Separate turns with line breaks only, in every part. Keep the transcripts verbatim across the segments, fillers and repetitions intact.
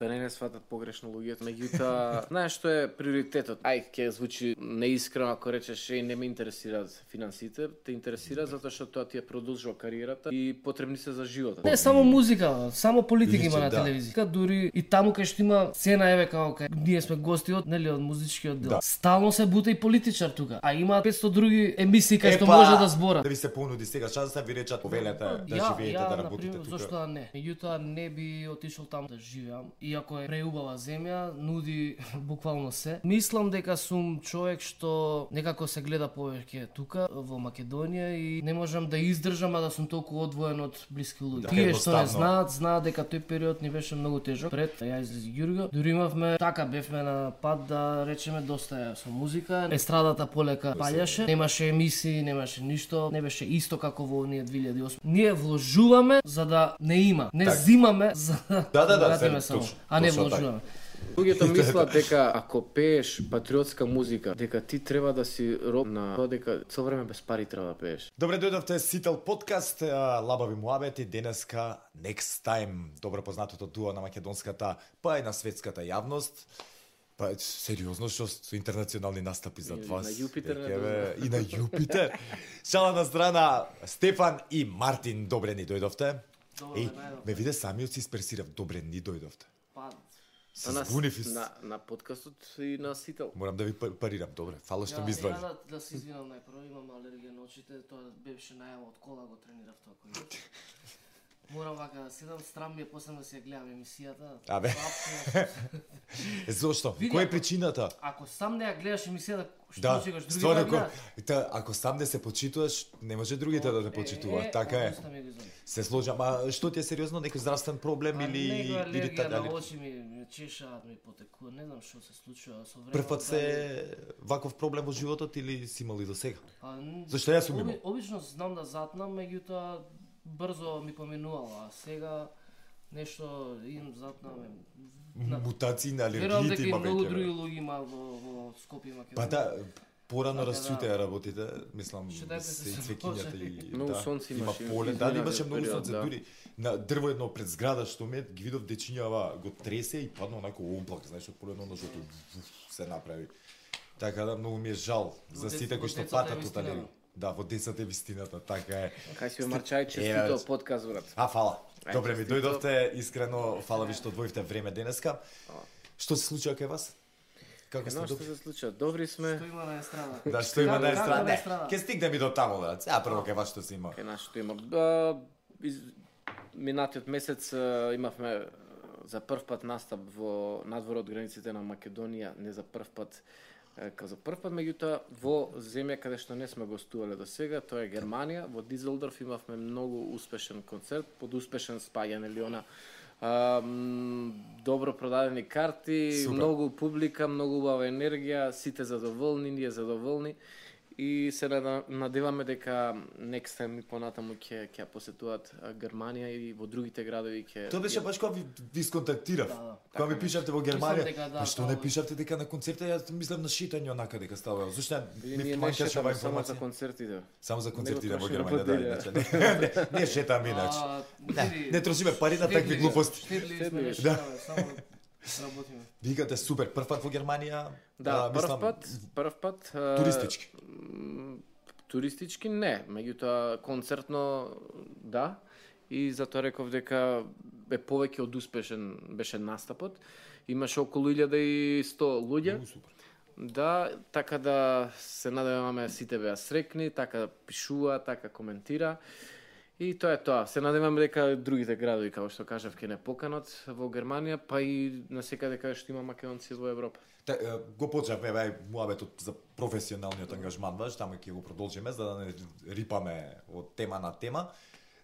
Да не не сватат погрешно луѓето. Меѓутоа, знаеш што е приоритетот? Ај, ќе звучи неискрено ако речеш еј не ме интересираат финансите, те интересира затоа што тоа ти е продолжува кариерата и потребни се за животот.
Не само музика, само политика има на
да.
телевизија. Дури и таму кај што има сцена еве како кај ние сме гости од нели од музичкиот дел.
Да.
Стално се бута и политичар тука, а има петстотини други емисии кај што
Епа,
може да зборат.
Да ви се понуди сега шанса, ви речат повелете да
Ја-
живеете,
ја,
да
на
работите
пример,
тука.
Зошто да не? Меѓутоа не би отишол таму да живеам, иако е преубава земја, нуди буквално се. Мислам дека сум човек што некако се гледа повеќе тука во Македонија и не можам да издржам а да сум толку одвоен од блиски луѓе.
Да,
Тие што не
едноставно.
знаат, знаат дека тој период ни беше многу тежок. Пред ја излези Ѓурѓо, дури имавме така бевме на пат да речеме доста е со музика. Естрадата полека паѓаше, немаше емисии, немаше ништо, не беше исто како во оние две илјади и осма. Ние вложуваме за да не има, не
Так.
зимаме за
Да, да, да,
вратиме
се-
само,
точно,
а не
точно така.
вложуваме.
Луѓето мислат дека ако пееш патриотска музика, дека ти треба да си роб на тоа дека цело време без пари треба да пееш.
Добре дојдовте Сител подкаст, а, лабави муабети, денеска Next Time, добро познатото дуо на македонската, па и на светската јавност. Па сериозно што со интернационални настапи зад
И
вас.
на Јупитер,
Веќе,
не
бе, и на Јупитер. Шала на страна, Стефан и Мартин, добре ни дојдовте.
Добро
Еј,
ме најдовте.
ме виде самиот си испресирав, добре ни дојдовте.
Па,
Се
на,
збунив и с-
на, на подкастот и на Сител.
Морам да ви па- парирам, добре. Фала што
ја-
ми извади.
ја да, да се извинам најпрво, имам алергија на очите, тоа беше најава од кола го тренирав тоа кој. Морам вака да седам, страм ми е после да си ја гледам емисијата.
Абе.
Апсолутно.
Е, зошто?
Види,
Која е
ако-
причината?
Ако сам не ја гледаш емисијата, што
Да,
очекуваш други
стварно,
да
ако,
гледат?
та, ако сам не се почитуваш, не може другите да те почитуваат,
Е,
така е.
односно ми го извади.
Се сложам, а што ти е сериозно, некој здравствен проблем
А
или
него
или
алергија
та-
на
али-
очи ми, ми чешаат, ми потекува, не знам што се случува со време.
Прв пат се ваков проблем во животот или си имал и до сега?
Зашто
Зашто јас сум имал?
Обично знам да затнам, меѓутоа брзо ми поминувало, а сега нешто им затнам. На...
Мутации на
Верувам
алергиите
дека и
има
многу
веќе.
други
бе.
луѓе има во, во Скопје, Македонија.
Па да, порано
Така
расцуте
да.
работите, мислам,
Шетајте се
се и
се
цвеќињата
може.
и
Многу
да,
сонце
има
имаше,
поле, да,
изминатиот
имаше многу
период,
сонце,
да.
дури на дрво едно пред зграда што ме ги видов дечињава го тресе и падна онако облак, знаеш, од полено на жото се направи. Така да многу ми е жал за
дец-
сите
во
кои што
децата е
патат од
вистина.
алергија. Да, во децата е вистината, така е.
Кај си Марчај,
Е,
честито
бе.
подкаст, брат.
А, фала.
Ај,
Добре ми
честито.
дојдовте, искрено фала ви што одвоивте време денеска.
Фала.
Што се случува кај вас? Како
Е,
сте
што
добри?
се случува? Добри сме.
Што има на естрада?
Да, што има
Како-
на
како
естрада?
на
Не,
естрада?
ќе стигнем и до таму, брат. Сега прво кај вас што се има.
Кај нашето има. А, из... Минатиот месец а, имавме а, за прв пат настап во надвор од границите на Македонија, не за прв пат, а, ка за прв пат, меѓутоа во земја каде што не сме гостувале до сега, тоа е Германија. Во Дизелдорф имавме многу успешен концерт, под успешен спаѓање или она а, м, добро продадени карти,
Супер.
многу публика, многу убава енергија, сите задоволни, ние задоволни. И се нада- надеваме дека next time и понатаму ќе ќе ја посетуваат а, Германија и во другите градови ќе.
Тоа беше баш кога ви, ви сконтактирав.
Да, да.
Кога ми
Така
пишавте во
Мислам
Германија,
дека да,
па што
тоа
не
е.
пишавте дека на концерта, јас мислам на шетање онака дека става. Зошто не,
Ние
ми
не
манкаше
шетаме
оваа
само за
информација?
концертите.
Само за концертите во
трошиме
Германија, да,
поделја.
иначе. Не, не, не шетаме иначе.
А,
Не,
види,
не трошиме пари на такви
штедливи-
глупости.
Штедливи сме,
Штедливи.
не шетаме, само работиме.
Викате супер, прв пат во Германија.
Да,
а,
прв
мислам,
пат, прв пат. а,
туристички.
м, Туристички не, меѓутоа концертно да. И затоа реков дека е повеќе од успешен беше настапот. Имаше околу илјада и сто луѓе.
Многу супер.
Да, така да се надеваме сите беа срекни, така пишува, така коментира. И тоа е тоа. Се надеваме дека другите градови, како што кажав, ќе не поканат во Германија, па и на секаде каде што има македонци во Европа.
Та, е, го почнавме бај муабетот за професионалниот ангажман ваш, таму ќе го продолжиме за да не рипаме од тема на тема.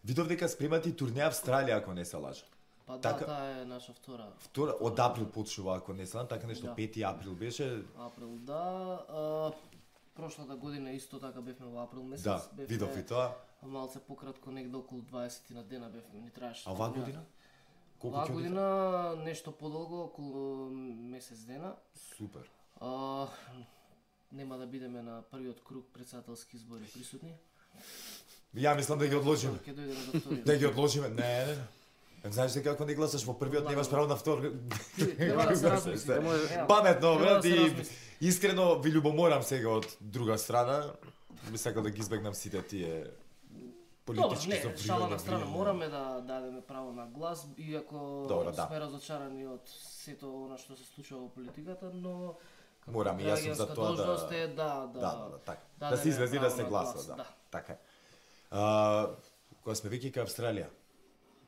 Видов дека спремате и турнеја Австралија, ако не се лажа.
Па да,
Така-
таа е наша втора.
Втора, од април почнува, ако не се лажа, така нешто
Да.
пети април беше.
Април, да. А, прошлата година исто така бевме во април месец.
Да,
бевме
видов и тоа.
Малце пократко, негде околу дваесет на дена бевме, ни траеше.
А оваа
турнејата.
година? Колку
Оваа
ќе одите?
година нешто подолго, околу месец дена.
Супер.
А, нема да бидеме на првиот круг председателски избори присутни.
Ја мислам да ги одложиме.
Ќе дојдеме до вториот.
Да ги одложиме. Не, не, не. Знаеш дека ако не гласаш во првиот, немаш право на втор.
Треба да се размисли.
Паметно,
Треба да
брат,
се
и
размисли.
искрено ви љубоморам сега од друга страна. Би сакал да ги избегнам сите тие
Добро,
политички
не,
совприводни
шала на страна,
влијања.
мораме да дадеме право на глас, иако
Добро, да.
сме разочарани од сето она што се случува во политиката, но како
Морам и јас сум за
граѓанска
тоа да
должност е да, да,
Да, да, да, така. Да
дадеме
се излезе и да
право
се
на
гласа,
глас,
да.
да.
Така е. А, кога сме веќе кај Австралија,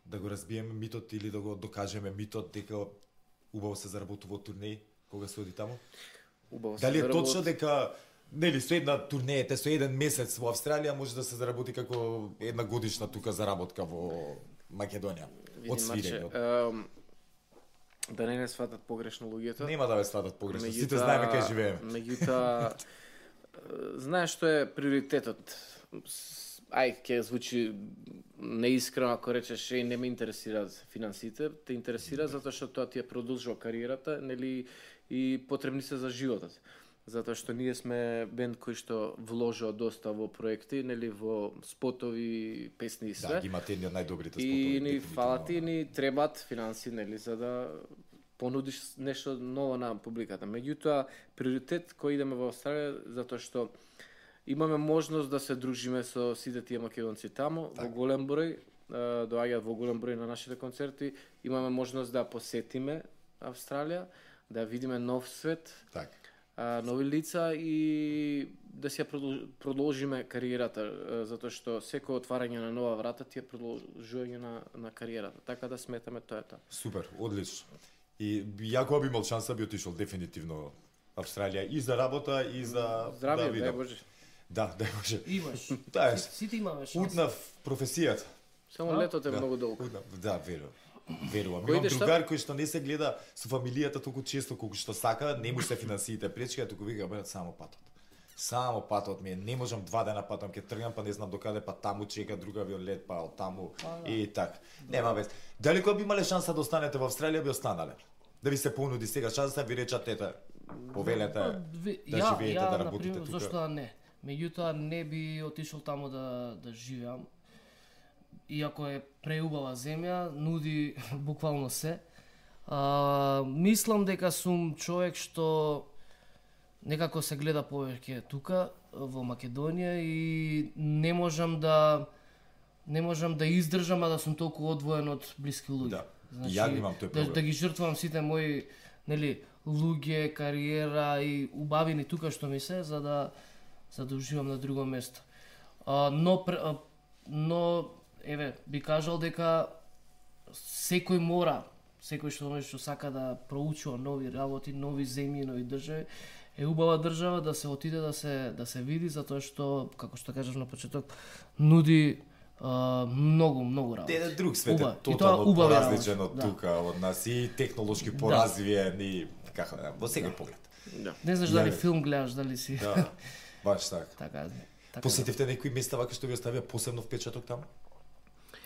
да го разбиеме митот или да го докажеме митот дека убаво се заработува од турнеи кога се оди таму?
Убаво се
Дали е
заработи.
точно дека нели со една турнејете, со еден месец во Австралија може да се заработи како една годишна тука заработка во Македонија од свирење?
Ем, да не не сватат погрешно луѓето.
Нема да ве сватат погрешно, сите
Меѓутоа-
знаеме кај живееме.
Меѓутоа, е, знаеш што е приоритетот? С- Ај, ќе звучи неискрено ако речеш, е, не ме интересираат финансите, те интересира затоа што тоа ти ја продолжува кариерата, нели, и потребни се за животот. Затоа што ние сме бенд кој што вложува доста во проекти, нели, во спотови, песни и све.
Да, ги имате едни од најдобрите спотови.
И ни
дефинитивно.
фала ти, ни требаат финанси, нели, за да понудиш нешто ново на публиката. Меѓутоа, приоритет кој идеме во Австралија, затоа што имаме можност да се дружиме со сите тие македонци таму, во голем број, е, доаѓаат во голем број на нашите концерти, имаме можност да посетиме Австралија, да видиме нов свет,
Така.
а, нови лица и да си ја продол- продолжиме кариерата, а, затоа што секој отварање на нова врата ти е продолжување на, на кариерата. Така да сметаме тоа е тоа.
Супер, одлично. И ја кога би имал шанса би отишол дефинитивно Австралија и за работа и за
Здравје,
да
дај
видам.
Боже.
Да, дај Боже.
Имаш.
Да, е.
Сите- Сите имаме шанса.
Утнав професијата.
Само
А?
летото е
Да.
многу долго.
Утнав, да, верувам. Верувам.
Кој
Имам
идеш
другар кој што не се гледа со фамилијата толку често колку што сака, не му се финансиите пречка, туку вика брат само патот. Само патот ми е, не можам два дена патам, ќе тргам, па не знам докаде, па таму чека друга авиолет, па од таму и така. Нема вез. Дали кога би имале шанса да останете во Австралија, би останале? Да ви се понуди сега шанса, ви речат ете, повелете
Па, ви-
да
ја,
живеете,
ја,
да работите
например,
тука.
зашто да не? Меѓутоа не би отишол таму да да живеам. Иако е преубава земја, нуди буквално се. А, мислам дека сум човек што некако се гледа повеќе тука во Македонија и не можам да не можам да издржам а да сум толку одвоен од блиски луѓе.
Да. И ја имам тој
да,
проблем.
да ги жртвувам сите мои нели луѓе, кариера и убавини тука што ми се за да за да уживам на друго место. А, но пр- а, но еве би кажал дека секој мора, секој што што сака да проучува нови работи, нови земји, нови држави, е убава држава да се отиде да се да се види затоа што како што кажав на почеток нуди а, многу многу работи.
Е, друг свет
Убав.
е
И тоа
тотално
убави
поразличен
работи,
од
да.
тука, од нас и технолошки поразвиен и како да, во секој поглед.
Да.
Не знаеш
Ја,
дали
бе.
филм гледаш, дали си.
Да, баш така.
така. така
Посетивте некои места вака што ви оставија посебно впечаток таму?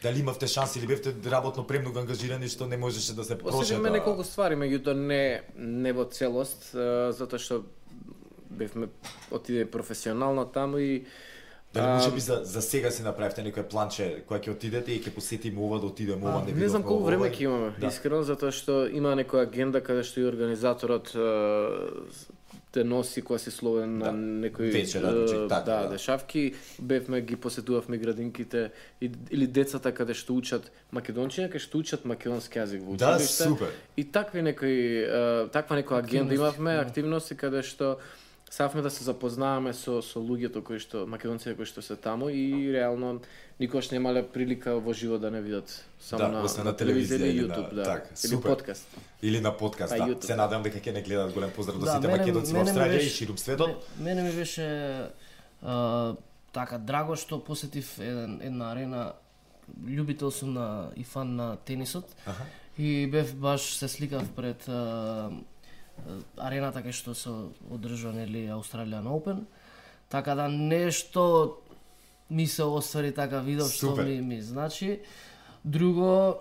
Дали имавте шанс или бевте работно премногу ангажирани што не можеше да се прошета?
Посетивме неколку ствари, меѓутоа не не во целост, е, затоа што бевме отиде професионално таму и
Дали
а,
може би за, за сега си направивте некој планче кога ќе отидете и ќе посетиме ова, да отидеме ова, не
не знам
видовме
колку
ова,
време
ова.
ќе имаме,
Да.
искрено, затоа што има некоја агенда каде што и организаторот е, те носи кога си словен
Да.
на некои
Вечера,
е,
значи, така,
да,
да.
дешавки, бевме ги посетувавме градинките и, или децата каде што учат македончина, каде што учат македонски јазик во
Да,
училиште.
супер.
И такви некои е, таква некоја агенда
Активности,
имавме,
да.
активности каде што сафме да се запознаваме со со луѓето кои што македонците кои што се таму и реално никош немале прилика во живот да не видат само
Да,
на,
освен
на
на
телевизија
телевизија
или
или на-
YouTube, да,
така,
или
супер.
подкаст.
Или на подкаст,
Па,
да.
YouTube,
Се надевам дека ќе не гледат. Голем поздрав до
Да,
сите
мене-
македонци во
мене ми
Австралија и
беше-
ширум светот.
Ме- Мене ми беше а, така драго што посетив еден, една арена. Љубител сум на и фан на тенисот.
Аха.
И бев баш се сликав пред а, а, арената кај што се одржува нели Australian Open. Така да нешто ми се оствари, така видов што
Супер.
ми ми значи. Друго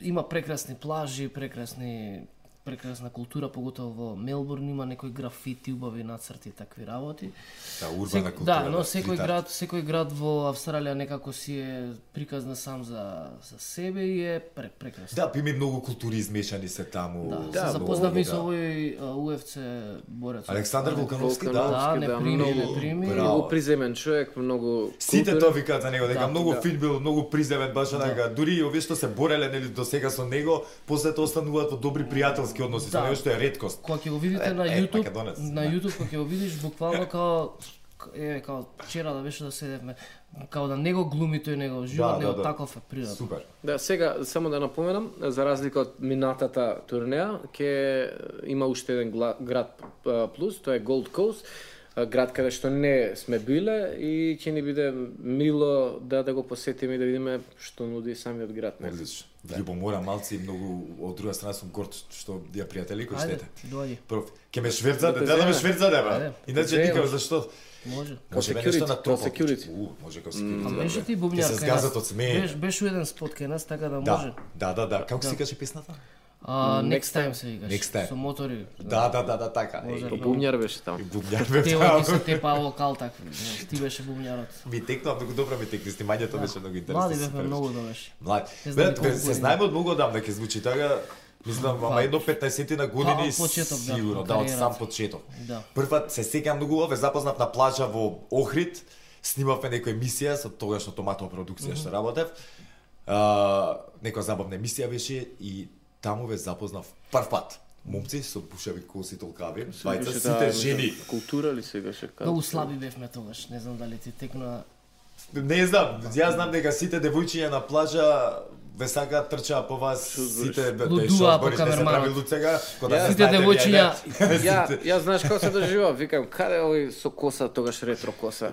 има прекрасни плажи, прекрасни прекрасна култура, поготово во Мелбурн има некои графити, убави нацрти и такви работи.
Да, урбана
Сек...
култура.
Да, но
да,
секој
стрит арт.
град, секој град во Австралија некако си е приказна сам за за себе и е пре, прекрасно.
Да, па има и многу култури измешани се таму.
Да,
Да,
се запознавме
многу,
со овој У Ф Це борец.
Александар Волкановски, да.
Да, не
да,
прими,
многу-
не прими.
Браво.
Многу приземен човек, многу
Сите
културен.
тоа викаат за него, дека
Да,
многу
да.
фин бил, многу приземен, баш онака. Дури и овие што се бореле нели до сега со него, после тоа остануваат во добри пријателски односи, со
Да.
него што е реткост.
Кога ќе го видите
Е,
на
е,
YouTube,
македонец,
на
да.
YouTube кога ќе го видиш буквално као е као вчера да беше да седевме, као да него глуми тој негов живот,
Да, да,
него
да.
таков е природа.
Супер.
Да, сега само да напоменам, за разлика од минатата турнеја, ќе има уште еден гла- град а, плюс, тоа е Gold Coast, а, град каде што не сме биле и ќе ни биде мило да да го посетиме и да видиме што нуди самиот град. нели?
Одлично. Љубомора малци и многу од друга страна сум горд што ја пријатели кој
Ајде,
штете.
доаѓи.
Прв, ќе ме шверца,
Да
да
те
да ме
земе.
шверца да
Ајде,
бе. Иначе
земе.
никако зашто?
Може.
Може бе
security,
нешто на
као
тропот.
security.
У, може како
А
security.
беше ти
Ќе
бубњар
се згазат од смење.
Беше беше еден спот кај нас така да
Да,
може.
да, да, да. Како
Да.
се каже песната?
А,
Next
next time се викаш.
Next time.
Со мотори.
Да, да, да, да, така.
Може.
Е,
Па бумњар беше таму.
и бубњар бе
Те
таму.
оди се тепа локал така. Ти беше бубњарот.
Ми текнува многу добро ми текни, снимањето беше многу интересно.
Млади
супер
бевме
беше.
многу да беше.
Млади.
Не знам
Бе,
ни колку
бе, се
години.
знаеме од многу одамна ќе звучи така. Мислам, ама
Па,
едно петнаесет на години
па, почеток, да,
сигурно,
на
да, од
кариерата.
сам почеток.
Да.
Првпат се сеќавам многу убаво, ве запознав на плажа во Охрид, снимавме некоја емисија со тогашно Томатова продукција што работев. А, некоја забавна емисија беше и таму ве запознав првпат. Момци со пушави коси толкави, двајца
Беше
сите
таа,
жени.
Култура ли се беше како?
Многу слаби бевме тогаш, не знам дали ти текна.
Не знам, јас знам дека сите девојчиња на плажа ве сакаат трчаа по вас, сите бе
Лудуваа по
се прави
камерманот.
луцега, кога
Ја-
се
Сите
знаете вие,
девојчиња-
не?
Ја,
Сите-
ја знаеш како се доживав, викам, каде овој со коса, тогаш ретро коса?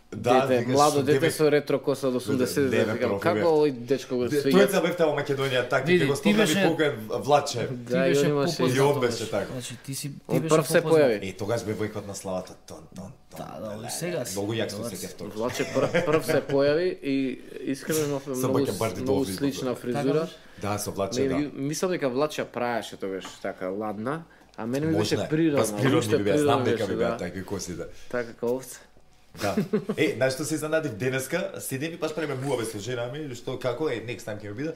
Да,
дете,
викаш,
младо дете
деве-
со ретро коса од осумдесетите,
Деве
викам,
профи
како
бев.
овој дечко го
Де-
свиѓа?
Тројца бевте во Македонија, така
Види,
ќе го
ти
спомнам и
беше-
Боган Влачев.
Ти
Да, и
беше
он имаше-
попознат
И он
тогаш.
беше така.
Значи ти си ти
Он
беше
прв се
попознат.
појави.
Е, тогаш бе војкот на славата. Тон, тон, тон.
Да, да,
леле,
сега си.
Многу јак се
Добар
сеќав
си.
тоа.
Влаче прв, прв се појави и искрено имавме
Со
многу,
бакенбарди
многу
долги,
слична
така
фризура.
беше?
Да, со Влачев,
Не,
да.
ми- мислам дека Влаче праеше тогаш така ладна, а мене ми
Можна
беше
е.
природна.
Бас природни
уште
би беа, знам
природна
дека
беше,
би беа
да.
такви коси, да.
Така како овце.
Да. Е, знаеш што се изненадив денеска? Седем и баш преме муаве со жена ми, што како е, next time ќе ми биде.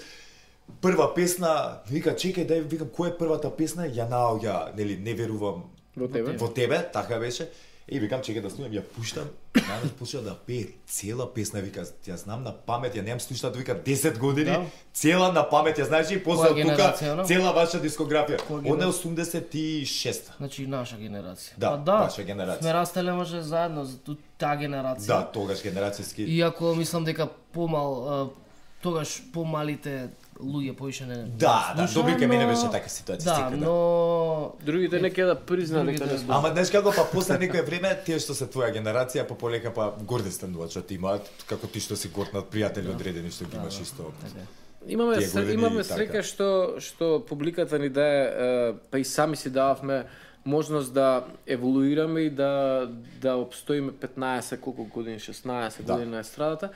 Прва песна, вика, чекај, дај, викам, која е првата песна? Ја наоѓа, нели, не верувам
Во тебе?
во тебе, така беше. И викам, чекај да слушам, ја пуштам, најмаш почна да пее цела песна, вика, ја знам на памет, ја немам слушнато, вика, десет години,
Да.
цела на памет, ја знаеш и после
Која
од тука,
генерација, но?
цела ваша дискографија.
Која
Она е
генерација?
осумдесет и шеста.
Значи наша генерација.
Да,
Па да,
ваша генерација.
Сме растеле може заедно за ту- таа генерација.
Да, тогаш генерацијски.
Иако мислам дека помал а, тогаш помалите луѓе поише не
Да, да,
слушаа,
добри кај мене
но-
беше така ситуација,
Да,
секаде.
но
Другите не ќе да признаат дека
Другите
не сме.
Ама знаеш како, па после некое време, тие што се твоја генерација, па полека па горди стануваат што ти имаат, како ти што си горд над пријатели одредени што ги имаш исто.
така.
Имаме
Тие
сре,
години
имаме
и така.
среќа што што публиката ни дае, е, па и сами си дававме можност да еволуираме и да да опстоиме петнаесет колку години, шеснаесет
Да.
години на естрадата.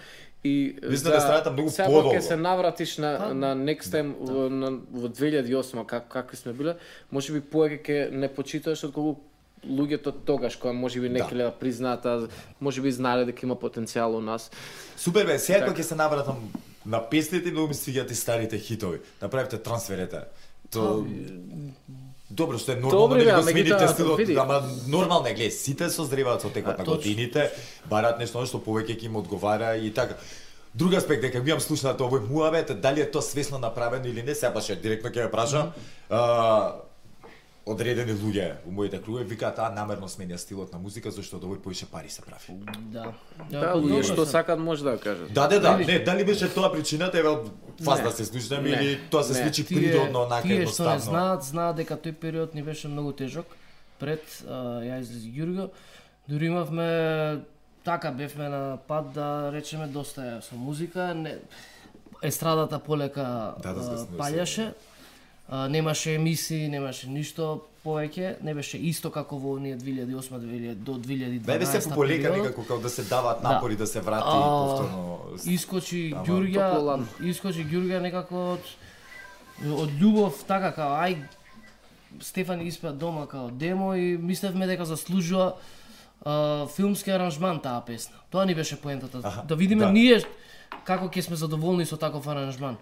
И
Мислам да естрадата многу
сега
подолго.
ќе се навратиш на
Па,
на Next Time во, на, во две илјади и осма как какви сме биле, можеби повеќе ќе не почиташ отколку луѓето тогаш кога можеби не
Да.
ќе да признаат, а можеби знаеле дека има потенцијал у нас.
Супер бе, сега
Така.
кога ќе се навратам на песните, многу ми свиѓаат и старите хитови. Направивте трансферете. То Добро што е нормално
Добри,
нели
бе,
го
ама
смените
ги таа,
стилот,
види.
ама нормално е, гледај, сите созреваат со текот
А,
на
точно.
годините, бараат нешто што повеќе ќе им одговара и така. Друг аспект дека го имам слушнато овој муабет, дали е тоа свесно направено или не, сега баш е директно ќе ја прашам. А, одредени луѓе у моите кругови викаат, а намерно сменја стилот на музика зашто од овој поише пари се прави.
Да.
Да,
Добро
луѓе што
се.
сакаат може да го кажат.
Да, да, да,
Видиш?
не, дали беше тоа причината, еве фаз
Не.
да се слушнам
Не.
или тоа се
Не.
случи
Тие-
природно, онака
Тие што не
едноставно.
знаат, знаат дека тој период ни беше многу тежок. Пред а, ја излезе Ѓурѓо, дури имавме така бевме на пат да речеме доста е со музика, не естрадата полека
Да, да,
а,
да, да,
паѓаше. А, немаше емисии, немаше ништо повеќе, не беше исто како во оние две илјади и осма до две илјади и
Бе, бе се
дванаесета
пополека
период.
некако како да се даваат
Да.
напори да се врати
А,
повторно.
Искочи
Ама,
Ѓурѓа,
топло
искочи Ѓурѓа некако од од љубов така као ај Стефан испеа дома као демо и мислевме дека заслужува а, филмски аранжман таа песна. Тоа ни беше поентата.
Аха,
Да видиме
да.
ние како ќе сме задоволни со таков аранжман.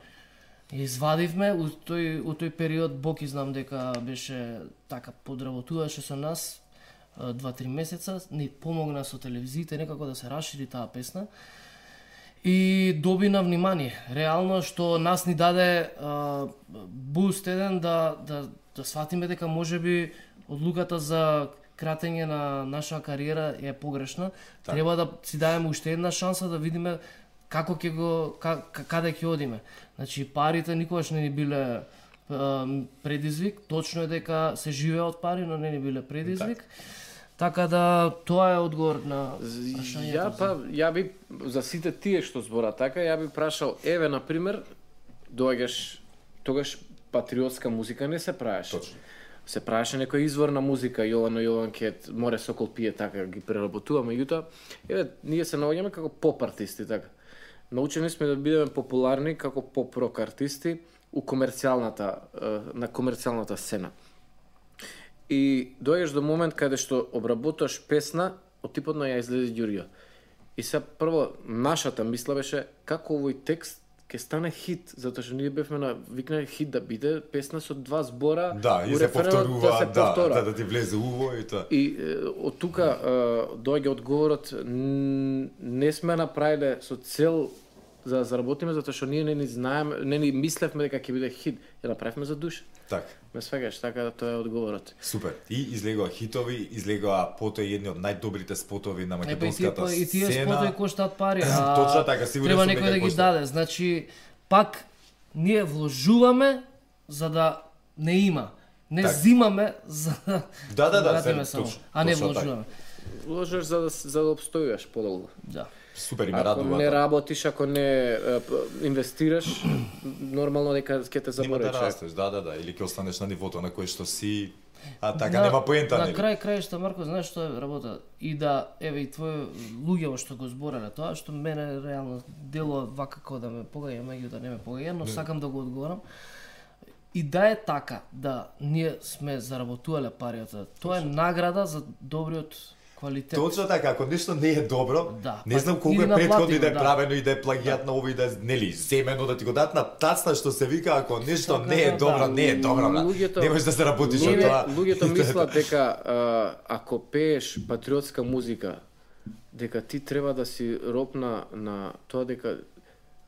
И извадивме у тој у тој период Боки знам дека беше така подработуваше со нас два-три месеца, ни помогна со телевизиите некако да се расшири таа песна. И добина внимание. Реално што нас ни даде а, буст еден да, да, да сватиме дека можеби одлуката за кратење на наша кариера е погрешна.
Так.
Треба да си дадеме уште една шанса да видиме како ќе го ка, каде ќе одиме. Значи парите никогаш не ни биле а, предизвик, точно е дека се живее од пари, но не ни биле предизвик. Так. Така да тоа е одговор на прашањето.
Ја па ја би за сите тие што збора така, ја би прашал, еве на пример, доаѓаш тогаш патриотска музика не се правеше.
Точно.
Се правеше некоја изворна музика, Јовано Јованкет, Море Сокол пие, така ги преработуваме, меѓутоа еве ние се наоѓаме како поп артисти, така. Научени сме да бидеме популарни како поп-рок артисти у комерцијалната на комерцијалната сцена. И доаѓаш до момент каде што обработуваш песна од типот на ја излезе Ѓурѓо. И се прво нашата мисла беше како овој текст ќе стане хит, затоа што ние бевме навикнали хит да биде песна со два збора,
Да, и
у
се
рефренот
повторува,
да се
да,
повтора.
да, да ти влезе уво и тоа.
И е, од тука е, доаѓа одговорот, н- не сме направиле со цел за да заработиме, затоа што ние не ни знаеме, не ни мислевме дека ќе биде хит, ја направивме за душа.
Так.
Ме свегаш, така да тоа е одговорот.
Супер. И излегоа хитови, излегоа потоа едни од најдобрите спотови на
Епа и тие,
македонската
па- и тие
сцена.
спотои коштаат пари, а
Точно така, сигурен
треба
сум
некој
дека
да ги
коштаат.
даде. Значи, пак ние вложуваме за да не има. Не
Так.
зимаме за да
Да, да, да,
вратиме
се-
само,
точно,
а не
точно така.
вложуваме.
Вложиш за да за да обстојуваш подолго.
Да.
Супер, и ме
Ако
радува.
не
тоа.
работиш, ако не е, п- инвестираш, нормално дека ќе те
Нема
заборави
да
човек.
растеш, да, да, да, или ќе останеш на нивото на кое што си, а така
На-
нема поента,
На
нели?
крај крајшта, Марко, знаеш што е работа? И да, еве и твој луѓето што го збореле тоа, што мене реално делува вака како да ме погаѓа, меѓутоа не ме погаѓа, но сакам да го одговорам. И да е така, да ние сме заработувале париот, тоа е награда за добриот квалитет.
Точно така, ако нешто не е добро,
Да,
не
па
знам колку
иди
е
на
претходно
платино,
и да е
да.
правено и да е плагијат на овој да е, нели, земено да ти го дадат на тацна што се вика, ако нешто
Така
не е
да,
добро,
да.
не е добро, бра.
Луѓето-
Не можеш да се работиш од
Луѓе,
тоа.
луѓето
И тоа е
мислат
тоа.
дека а, ако пееш патриотска музика, дека ти треба да си роб на, на тоа дека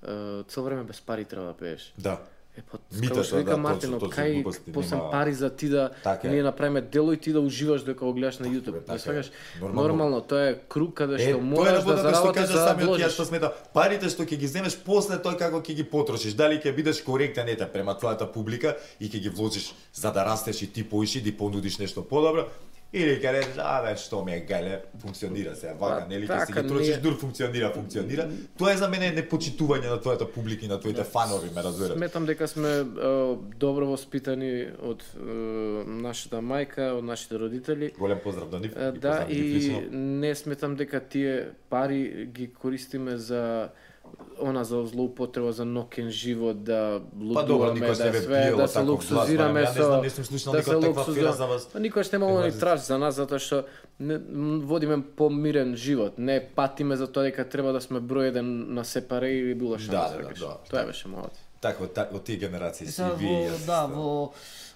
а, цело време без пари треба да пееш.
Да.
Е, па,
Митата,
како што вика
да,
Мартин,
точно,
од
точно,
кај
глупости,
посам
нема-
пари за ти да
Така е.
ние направиме дело и ти да уживаш дека го гледаш на YouTube.
така е.
Да свегаш,
Нормално.
нормално, тоа е круг каде
Е,
што
тоа е
мораш да
работата што
заработиш
кажа
за да
самиот ја
вложиш.
што смета. Парите што ќе ги земеш после тој како ќе ги потрошиш, дали ќе бидеш коректен ете према твојата публика и ќе ги вложиш за да растеш и ти поиш и да понудиш нешто подобро, или ќе речеш, а бе, што ми е гајле, функционира се, вака,
Па,
нели, ќе си
така,
ги трошиш,
ние-
дур функционира, функционира. Тоа е за мене непочитување на твојата публика и на твоите фанови, ме разбираш.
Сметам дека сме е, добро воспитани од е, нашата мајка, од нашите родители.
Голем поздрав до нив.
Е,
ги
Да,
познавам ги
и
лично.
не сметам дека тие пари ги користиме за она за злоупотреба за ноќен живот, да
Па добро,
лудуваме,
никош не
да
бе
све,
пиела
да се
таков
луксузираме
глас, барем, ја не
со
знам, не сум слушнал
да
никоја
се
таква
луксуза-
афера за вас.
Па никош не мало
Нема
ни
врска.
траж за нас затоа што не, м, водиме помирен живот, не патиме за тоа дека треба да сме број еден на сепаре или било што
Да,
да,
да,
сакаш.
да,
Тоа беше мојот.
Така, од, та- од тие генерации
И
си
сега
ви и
во,
јас.
да, во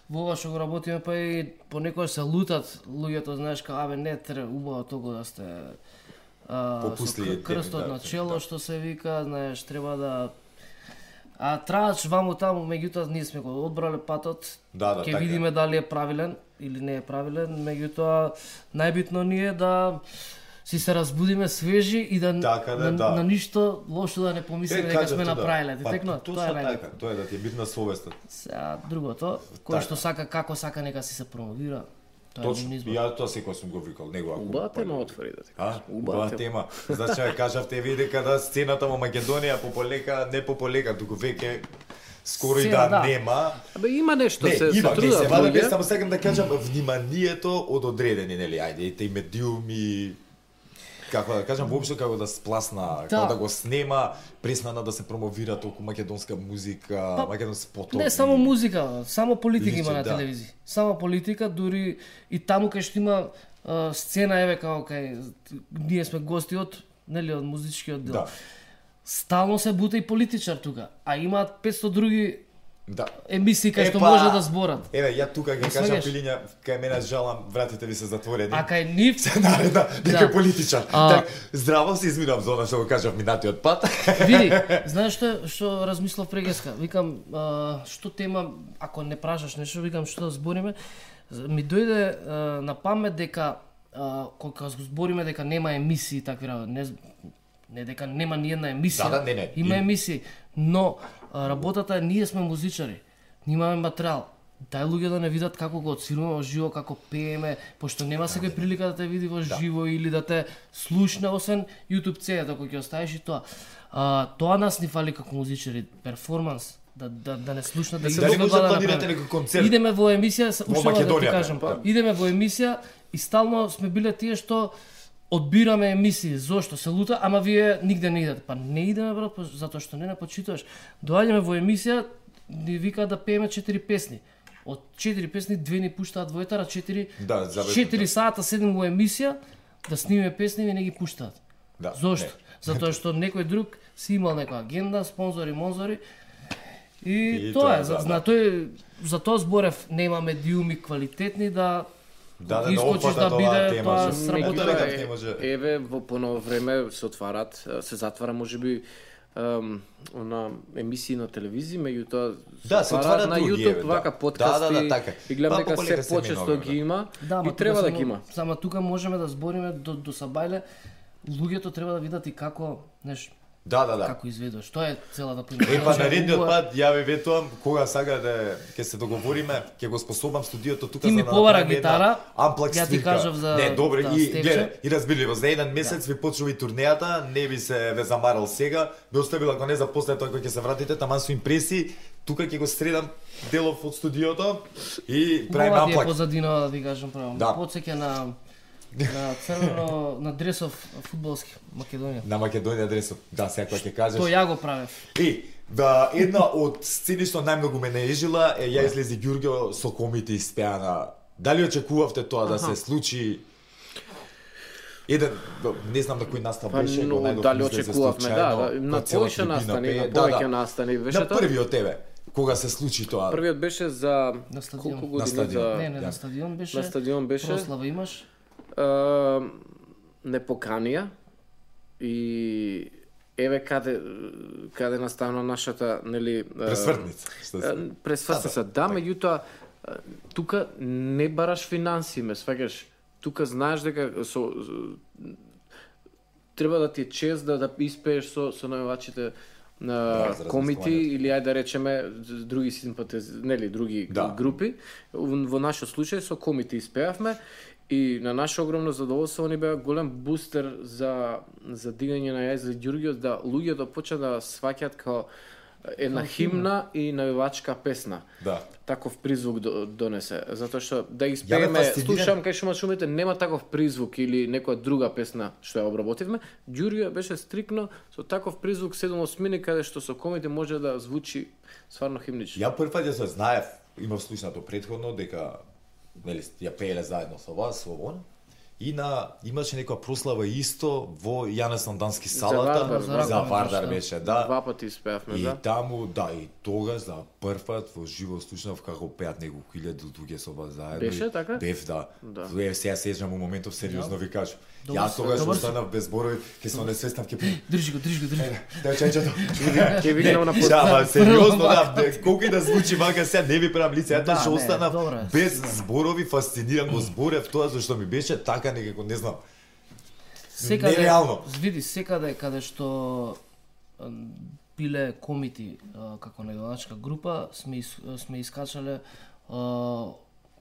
во ова што го работиме, па и понекогаш се лутат луѓето, знаеш, као, абе, не треба убаво толку да сте а,
Попусли
со
е
кр- крстот
теми,
на
да,
чело,
да.
што се вика, знаеш, треба да А трач ваму таму, меѓутоа ние сме го одбрале патот.
Да, да,
Ќе
така е.
видиме дали е правилен или не е правилен, меѓутоа најбитно ни е да си се разбудиме свежи и да,
Така да,
на,
да.
на ништо лошо да не помислиме дека
кажав
сме
ти, да.
направиле. Ти
Па,
текно,
точно
тоа е најбитно.
така, тоа е да ти е битна совеста.
Сега другото, кој
Така.
што сака како сака нека си се промовира. Тоа е
Точно.
нивен
И
избор.
ја тоа секој сум го викал него ако.
Убава тема отвори да те
А,
кажам.
убава тема. Значи ја кажавте ви дека да сцената во Македонија пополека, не пополека, туку веќе скоро и
Сцена,
да
да.
нема.
Абе има нешто
Не,
се се
има, не
трудат
се вада без
луѓе.
само сакам да кажам вниманието од одредени, нели, ајде, и медиуми. како да кажам, воопшто како да спласна,
Да.
како да го снема, преснана да се промовира толку македонска музика,
Па,
македонски спотови.
Не само музика, само политика
Личи,
има на
да.
телевизија. Само политика, дури и таму кај што има а, сцена, еве како кај ние сме гости од, нели, од музичкиот дел.
Да.
Стално се бута и политичар тука, а имаат петстотини други
Да.
емисии кај
Е,
што
па,
може да зборат.
Еве, ја тука ќе
Ме
кажам
сваѓаш?
пилиња, кај мене жалам, вратите ви се затворени.
А кај нив,
се нареда, некој
Да.
политичар.
А-
Так, здраво се изминав за она што го кажав минатиот пат.
види, знаеш што што размислав прегеска? Викам, а, што тема, ако не прашаш нешто, викам што да збориме, ми дојде а, на памет дека а, кога го збориме дека нема емисии и такви работи, не, не дека нема ни една емисија,
Да, да, не, не.
има
И-
емисии, но а, работата е ние сме музичари, ние имаме материјал. Дај луѓе да не видат како го отсвируваме во живо, како пееме, пошто нема секој прилика да те види во живо или да те слушне, освен YouTube цејата кој ќе оставиш и тоа. А, тоа нас ни фали како музичари, перформанс, да, да, да не слушнат, да,
се
ги
не може да
да
планирате
направиме.
некој концерт.
Идеме во емисија, с-
Во
уште да ти
Македонија,
кажам,
па.
идеме во емисија и стално сме биле тие што одбираме емисии, зошто се лута, ама вие нигде не идете. Па не идеме брат, па затоа што не не почитуваш. Доаѓаме во емисија, ни викаат да пееме четири песни. Од четири песни две ни пуштаат во етар, а четири
Да, забе-
четири
да.
сата седим во емисија да снимиме песни и не ги пуштаат.
Да,
Зошто?
не.
Затоа што некој друг си имал некоја агенда, спонзори, монзори. И,
И
тоа
тоа
е,
е,
за,
да,
на
да.
тој за тоа зборев, нема медиуми квалитетни да
Да, да, да
искочиш
опфатат
да
оваа
биде
тема,
тоа
што
сработа.
Меѓутоа,
Меѓутоа,
не може-
е- еве во поново време се отварат, се затвара можеби ем, на емисии на телевизија, меѓутоа
Да, се отварат
на
други,
YouTube
еве, да.
вака подкасти.
Да, да, да, така.
И гледам
Па,
дека
пополека
се
се
почесто
менува,
ги има
Да,
и
ма
треба
тука
да
само-
ги има.
Само тука можеме да збориме до до Сабајле. Луѓето треба да видат и како, знаеш,
Да, да, да.
како изведуваш. Тоа е целата
Е,
поинта.
па
Значи,
наредниот
убаво-
пат, ја ви ветувам, кога сага да ќе се договориме, ќе го способам студиото тука
Ти ми
за да
повара
направиме една
гитара,
амплакс
ја ти
свирка.
кажав за-
Не, добре,
да,
и
Стефче.
гледа, и разбирливо, за еден месец ви почува и турнејата, не би се ве замарал сега, би оставил ако не за после тоа кога ќе се вратите, таман со импресии, тука ќе го средам делов од студиото и правиме
Ова ти е
амплак.
позадина, да ви кажам право.
Да.
Потсеќа на на црвено на дресов фудбалски Македонија.
На Македонија адресот. Да, сега кога ќе кажеш.
Тоа ја го правев.
И, да, една од сцени што најмногу ме наежила е ја излези Ѓурѓо со комите испеана. Дали очекувавте тоа да се случи? Еден, не знам на кој настав
Па,
беше,
но,
го најдов
дали
излезе
очекувавме, да,
случајно,
да, на
кога цела
повеќе
трибина
настани,
пее.
на
Да,
повеќе
да.
настани беше
На
тоа.
првиот тебе, кога се случи тоа.
Првиот беше за
На стадион.
колку
На
години
стадион.
за
Не, не,
ја.
на стадион беше.
на стадион беше
Прослава имаш.
е, не поканија и еве каде каде настана нашата нели е,
Пресвртница. Што се?
е, пресвртница. Да, меѓутоа е, тука не бараш финансии, ме сваќаш. Тука знаеш дека со треба да ти е чест да да испееш со со највачите на
Да, за
комити
размислувањето.
или ајде да речеме други симпатизи, нели други
Да.
групи. Во во нашиот случај со комити испеавме и на наше огромно задоволство они беа голем бустер за за дигање на јајз за Ѓурѓиот, да луѓето почна да сваќаат као една
Као
химна и највачка песна.
Да.
Таков призвук до, донесе, затоа што да
Ја ме
испееме,
фасцинира-
слушам кај шума шумите, нема таков призвук или некоја друга песна што ја обработивме. Ѓурѓо беше стрикно со таков призвук седум осмини каде што со комите може да звучи стварно химнично.
Ја прв пат ја се знаев, имав слушнато претходно дека нели ја пееле заедно со вас, со он. И на имаше некоја прослава исто во Јанес Сандански салата
Вардар,
за,
за
Вардар
Ракови,
беше, да.
Два пати испеавме,
И
да.
таму, да, и тогаш за прв пат во живо слушнав како пеат неколку илјади луѓе со вас заедно.
Беше
И
така?
Бев, да.
Да.
Е, сега сеќам у моментов сериозно ви кажам.
Добар
Јас
се,
тогаш
добар се.
останав без зборови, ќе се несвестам, ќе пи.
Држи го, држи го, држи го.
Да, чајчето.
Ќе викнам на
Да, ма
подкаст.
сериозно, да, де- колку и да звучи вака сега не ви правам лице,
Да,
јас што
не,
останав
добро е.
без зборови, фасциниран го зборев тоа зашто ми беше така некако, не знам.
Секаде,
Нереално.
види, секаде каде што а, биле комити а, како најдоначка група, сме, ис, сме искачале а,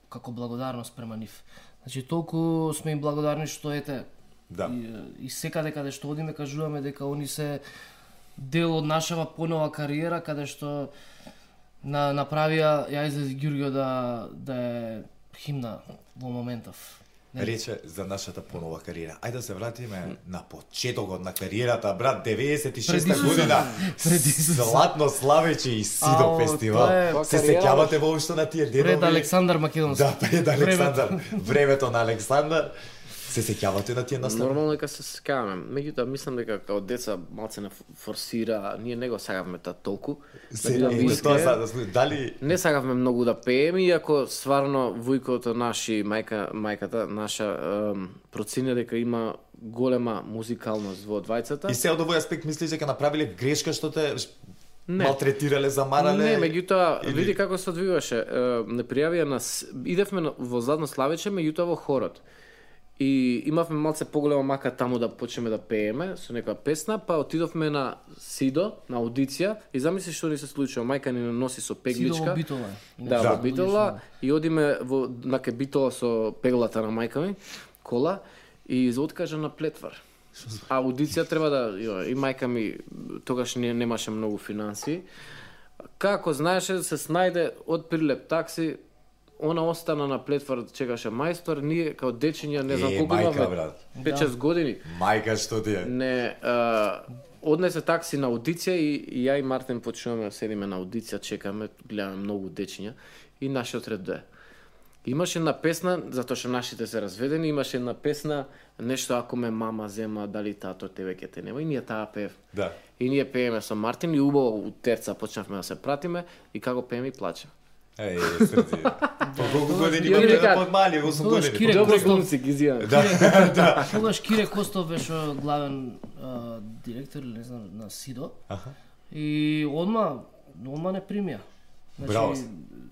како благодарност према нив. Значи, толку сме им благодарни што ете,
Да.
и, и секаде каде што одиме кажуваме дека они се дел од нашава понова кариера, каде што на, направија ја излези Ѓурѓо да, да е химна во моментов.
рече за нашата понова кариера. Ајде да се вратиме на почетокот на кариерата, брат, деветдесет и шеста
Пред
година.
Пред Исуса.
Златно славече и Сидо
Ау,
фестивал.
тоа е-
Се сеќавате воопшто на тие денови?
Пред Александар Македонски.
Да, пред Александар. Времето на Александар. Се сеќавате на тие настави?
Нормално дека се сеќаваме. Меѓутоа мислам дека као деца малце не форсира, ние не го сакавме та толку.
Се,
Да бидам
е,
искрен.
тоа са, да сме- дали
Не сакавме многу да пееме, иако стварно вујкото наши, мајка, мајката наша ем, процени дека има голема музикалност во двајцата.
и се од овој аспект мислиш дека направиле грешка што те
Не.
малтретирале, замарале?
Не, меѓутоа,
или-
види како се одвиваше. Е, Не пријавија нас, идевме на- во Златно Славече, меѓутоа во хорот. И имавме малце поголема мака таму да почнеме да пееме со некоја песна, па отидовме на Сидо, на аудиција, и замисли што ни се случува. Мајка ни носи со
Сидо во
пегличка.
Битола.
Да,
Да.
во Битола, и одиме во, на ке Битола со пеглата на мајка ми, кола, и откажа на Плетвар. А аудиција треба да... Јо, и мајка ми тогаш не, немаше многу финансии. Како знаеше, се снајде од прилеп такси, она остана на Плетвар, чекаше мајстор, ние као дечиња, не знам
Е,
колку
мајка,
имавме,
брат.
пет-шест години.
Мајка што ти е?
Не, а, однесе такси на аудиција и, и ја и Мартин почнуваме да седиме на аудиција, чекаме, гледаме многу дечиња и нашиот ред дое. Имаше една песна, затоа што нашите се разведени, имаше една песна, нешто ако ме мама зема, дали тато тебе ќе те нема, и ние таа пеев.
Да.
И ние пееме со Мартин и убаво у терца почнавме да се пратиме и како пееме и плаче.
Еј, срци. По колку години
Ја
имате
вика,
под мали, осум
тогаш
години.
Кире
Добре
Костов-
глумци ги зија.
Да.
Тогаш Кире Костов беше главен а, директор или не знам на Сидо.
Аха.
И одма, одма не примија.
Браво си.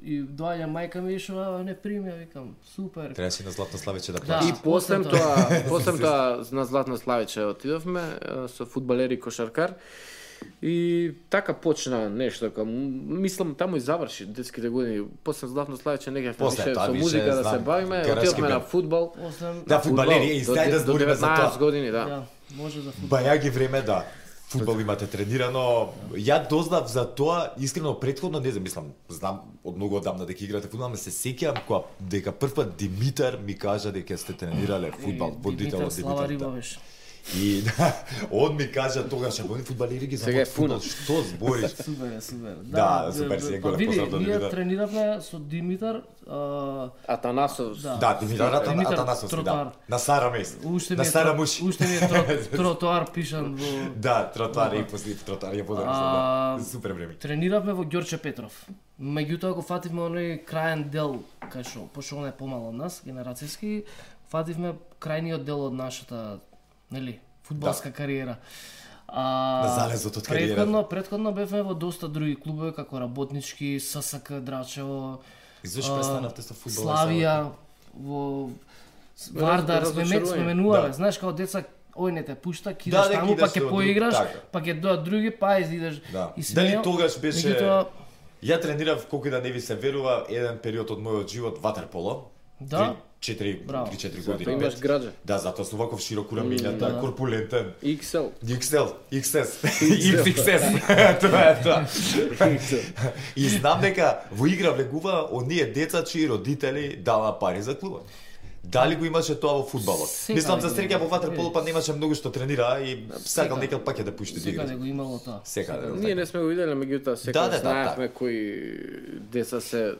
и доаѓа мајка ми и што не примија, викам, супер.
Требаше на Златно Славече да
Да.
плачеш.
И после
после
тоа, после тоа на Златно Славече отидовме е, со фудбалери и кошаркар. И така почна нешто, као, мислам таму и заврши детските години. После Златно Славече не гефме
После
више
тоа
со
више,
музика да се
знам,
бавиме,
гаражки
отидовме на
бенд.
фудбал.
После
Да, фудбалери, и
До
знај да
де- до
збориме за
деветнаесет
тоа.
години, да.
да, може за фудбал.
Бајаги време, да. Фудбал имате тренирано. Ја дознав за тоа, искрено претходно, не знам, мислам, знам од многу одамна дека играте фудбал, ме се сеќавам кога дека првпат Димитар ми кажа дека сте тренирале фудбал, водител
Димитар
од
Слава
Димитар.
Риба
да.
беше.
И да, он ми кажа тогаш, ако фудбалери ги
Сега е
знаат фудбал,
фуна.
што збориш?
Супер е, супер.
Да, супер си,
бе,
голем
па види,
поздрав до
ние
Димитар.
трениравме со Димитар, а,
Атанасов.
Да.
Да, Димитар Атан-
Димитар
Атанасовски, да.
Тротоар.
На Сара Мес.
уште ми
На
е
Сара
тро-
Муш.
уште ми е тро- тротоар пишан во
Да, тротуар и после тротуар ја подобро
А,
да. Супер време.
трениравме во Ѓорче Петров. Меѓутоа го фативме оној крајен дел, кај што пошто он е помал од нас, генерацијски, фативме крајниот дел од нашата, нели, фудбалска кариера. А,
На залезот од кариерата.
Претходно, претходно бевме во доста други клубови како Работнички, ССК Драчево,
И зашто
а,
престанавте со фудбал?
Славија, во Вардар, сме мен
разочарување.
сменувале.
Да.
Знаеш како деца ој не те пушта,
Да,
кидаш
дека
таму,
идеш
па
со
ќе
друг,
поиграш,
така.
па ќе дојдат други, па изидеш.
Да.
И
Дали
смеја-
тогаш беше
меѓутоа,
Ја тренирав колку и да не ви се верува еден период од мојот живот ватерполо.
Да.
четири
Браво.
четири
Затоа
години.
имаш
пет.
граđа.
Да, затоа су ваков широко рамињата,
Да.
корпулентен.
икс ел.
икс ел, икс ес, икс ес, тоа е тоа. И знам дека во игра влегува оние деца чии родители дава пари за клубот. Дали го имаше тоа во фудбалот?
Секаде
Мислам за
го
среќа
има.
во ватерполо па немаше многу што тренира и сакал
Секаде.
некад пак ќе да пушти да игра.
секаде го имало тоа.
Секаде.
Ние не сме го виделе, меѓутоа
Да,
секој
да, да,
знаевме кои деца се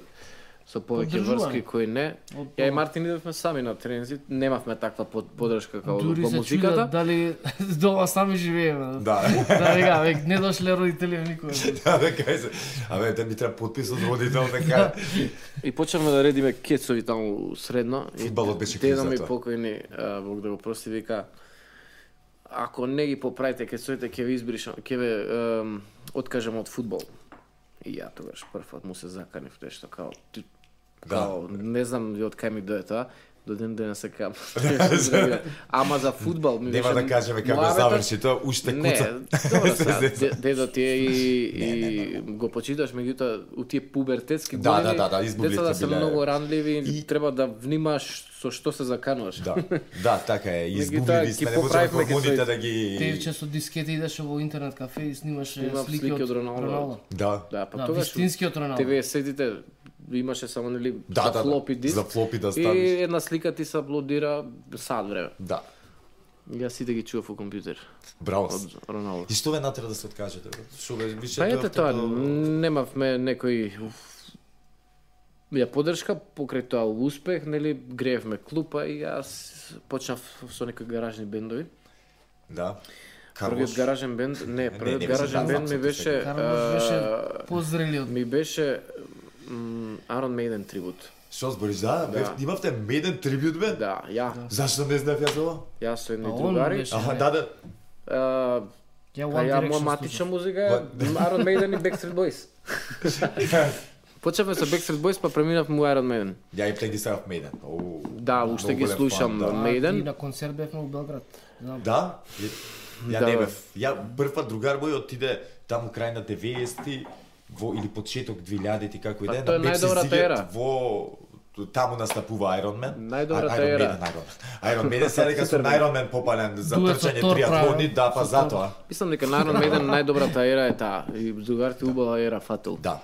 со повеќе
Поддржувани.
врски, кои не.
Од
Ја и
тоа.
Мартин идовме сами на тренинзи, немавме таква под- поддршка како
Дури
во
се
музиката.
чудат дали дома сами живееме.
Да.
Да, вега, век не дошле родители никој.
Да, да кажа. Абе, да ми треба подпис од родител, дека
И почнавме да редиме кецови таму средно. И
Фудбалот беше
дедо
крив
ми
за тоа.
покојни, а, Бог да го прости, вика, ако не ги поправите кецовите, ќе ви избришам, ќе ве ем, откажам од фудбал. И ја тогаш прв пат му се заканив нешто као, ти-
Да.
као не знам од кај ми дое тоа, до ден денес се кам. Ама за фудбал ми
нема
беше
да кажеме како
муабетот-
заврши тоа, уште
Не,
куца.
добро сега,
Се зеца.
де- дедо ти е и, и го почиташ, меѓутоа у тие пубертетски
Да,
години,
да, да, да, избубливите
децата се
биле-
многу ранливи и
И-
треба да внимаш со што се закануваш.
Да, да, така е.
Меѓутоа,
Изгубливи
ги
сме, не можеме
поправивме
хормоните
кецовите.
да ги...
Тевче со дискети идеше во интернет кафе и снимаше
Имав
слики,
слики
од
од Роналдо.
Роналдо.
Да.
Да, па
Да,
тогаш
вистинскиот Роналдо.
деветдесетите имаше само нели
Да,
за
да, да.
флопи диск.
За флопи да
И
ставиш.
една слика ти се аплодира сад време.
Да.
Јас сите ги чував во компјутер
Браво.
од Роналдо.
И што ве натера да се откажете? Што ве више
Па ете
дојавте
тоа,
до-
немавме некој уф, ја поддршка покрај тоа успех, нели греевме клупа и јас почнав со некои гаражни бендови.
Да.
Првиот гаражен бенд, не, првиот
не,
гаражен
знам,
бенд ми
знам,
беше
Карлош беше
а,
позрели од
ми беше м, Iron Maiden трибут.
Што збориш, да? Бев, имавте меден трибют бе?
Да, ја,
Зашто не знаев јас ова?
јас со едни
А он
другари.
беше-
Аха, да, да.
а,
Ја
Па
One
ја
Direction
моја матична
слушав.
музика е Iron Maiden и Backstreet Boys. Почнавме со Backstreet Boys, па преминавме во Iron Maiden.
Ја и плек ги ставав меден. Оу.
Да, уште
Многу
ги
голем
слушам
фан, да.
А, и
Maiden.
на концерт бевме во Белград. Знам.
Да? И- Ја
Да,
не
бе.
бев. Ја прв пат другар мој отиде таму крај на деветдесети во или почеток двилјадети како и
Па
да е,
тоа е
на Пепси
најдобрата
Зигет
ера.
во таму настапува Iron Man.
Најдобрата
А- Iron
ера.
Maiden, Iron Man. Iron Maiden сега дека сум Iron Man попален за
Дует со
трчање
Тор
триатлони,
прави,
да, па
со
затоа.
Мислам дека на Iron Maiden најдобрата ера е таа. И другарите убава ера Fatal.
Да.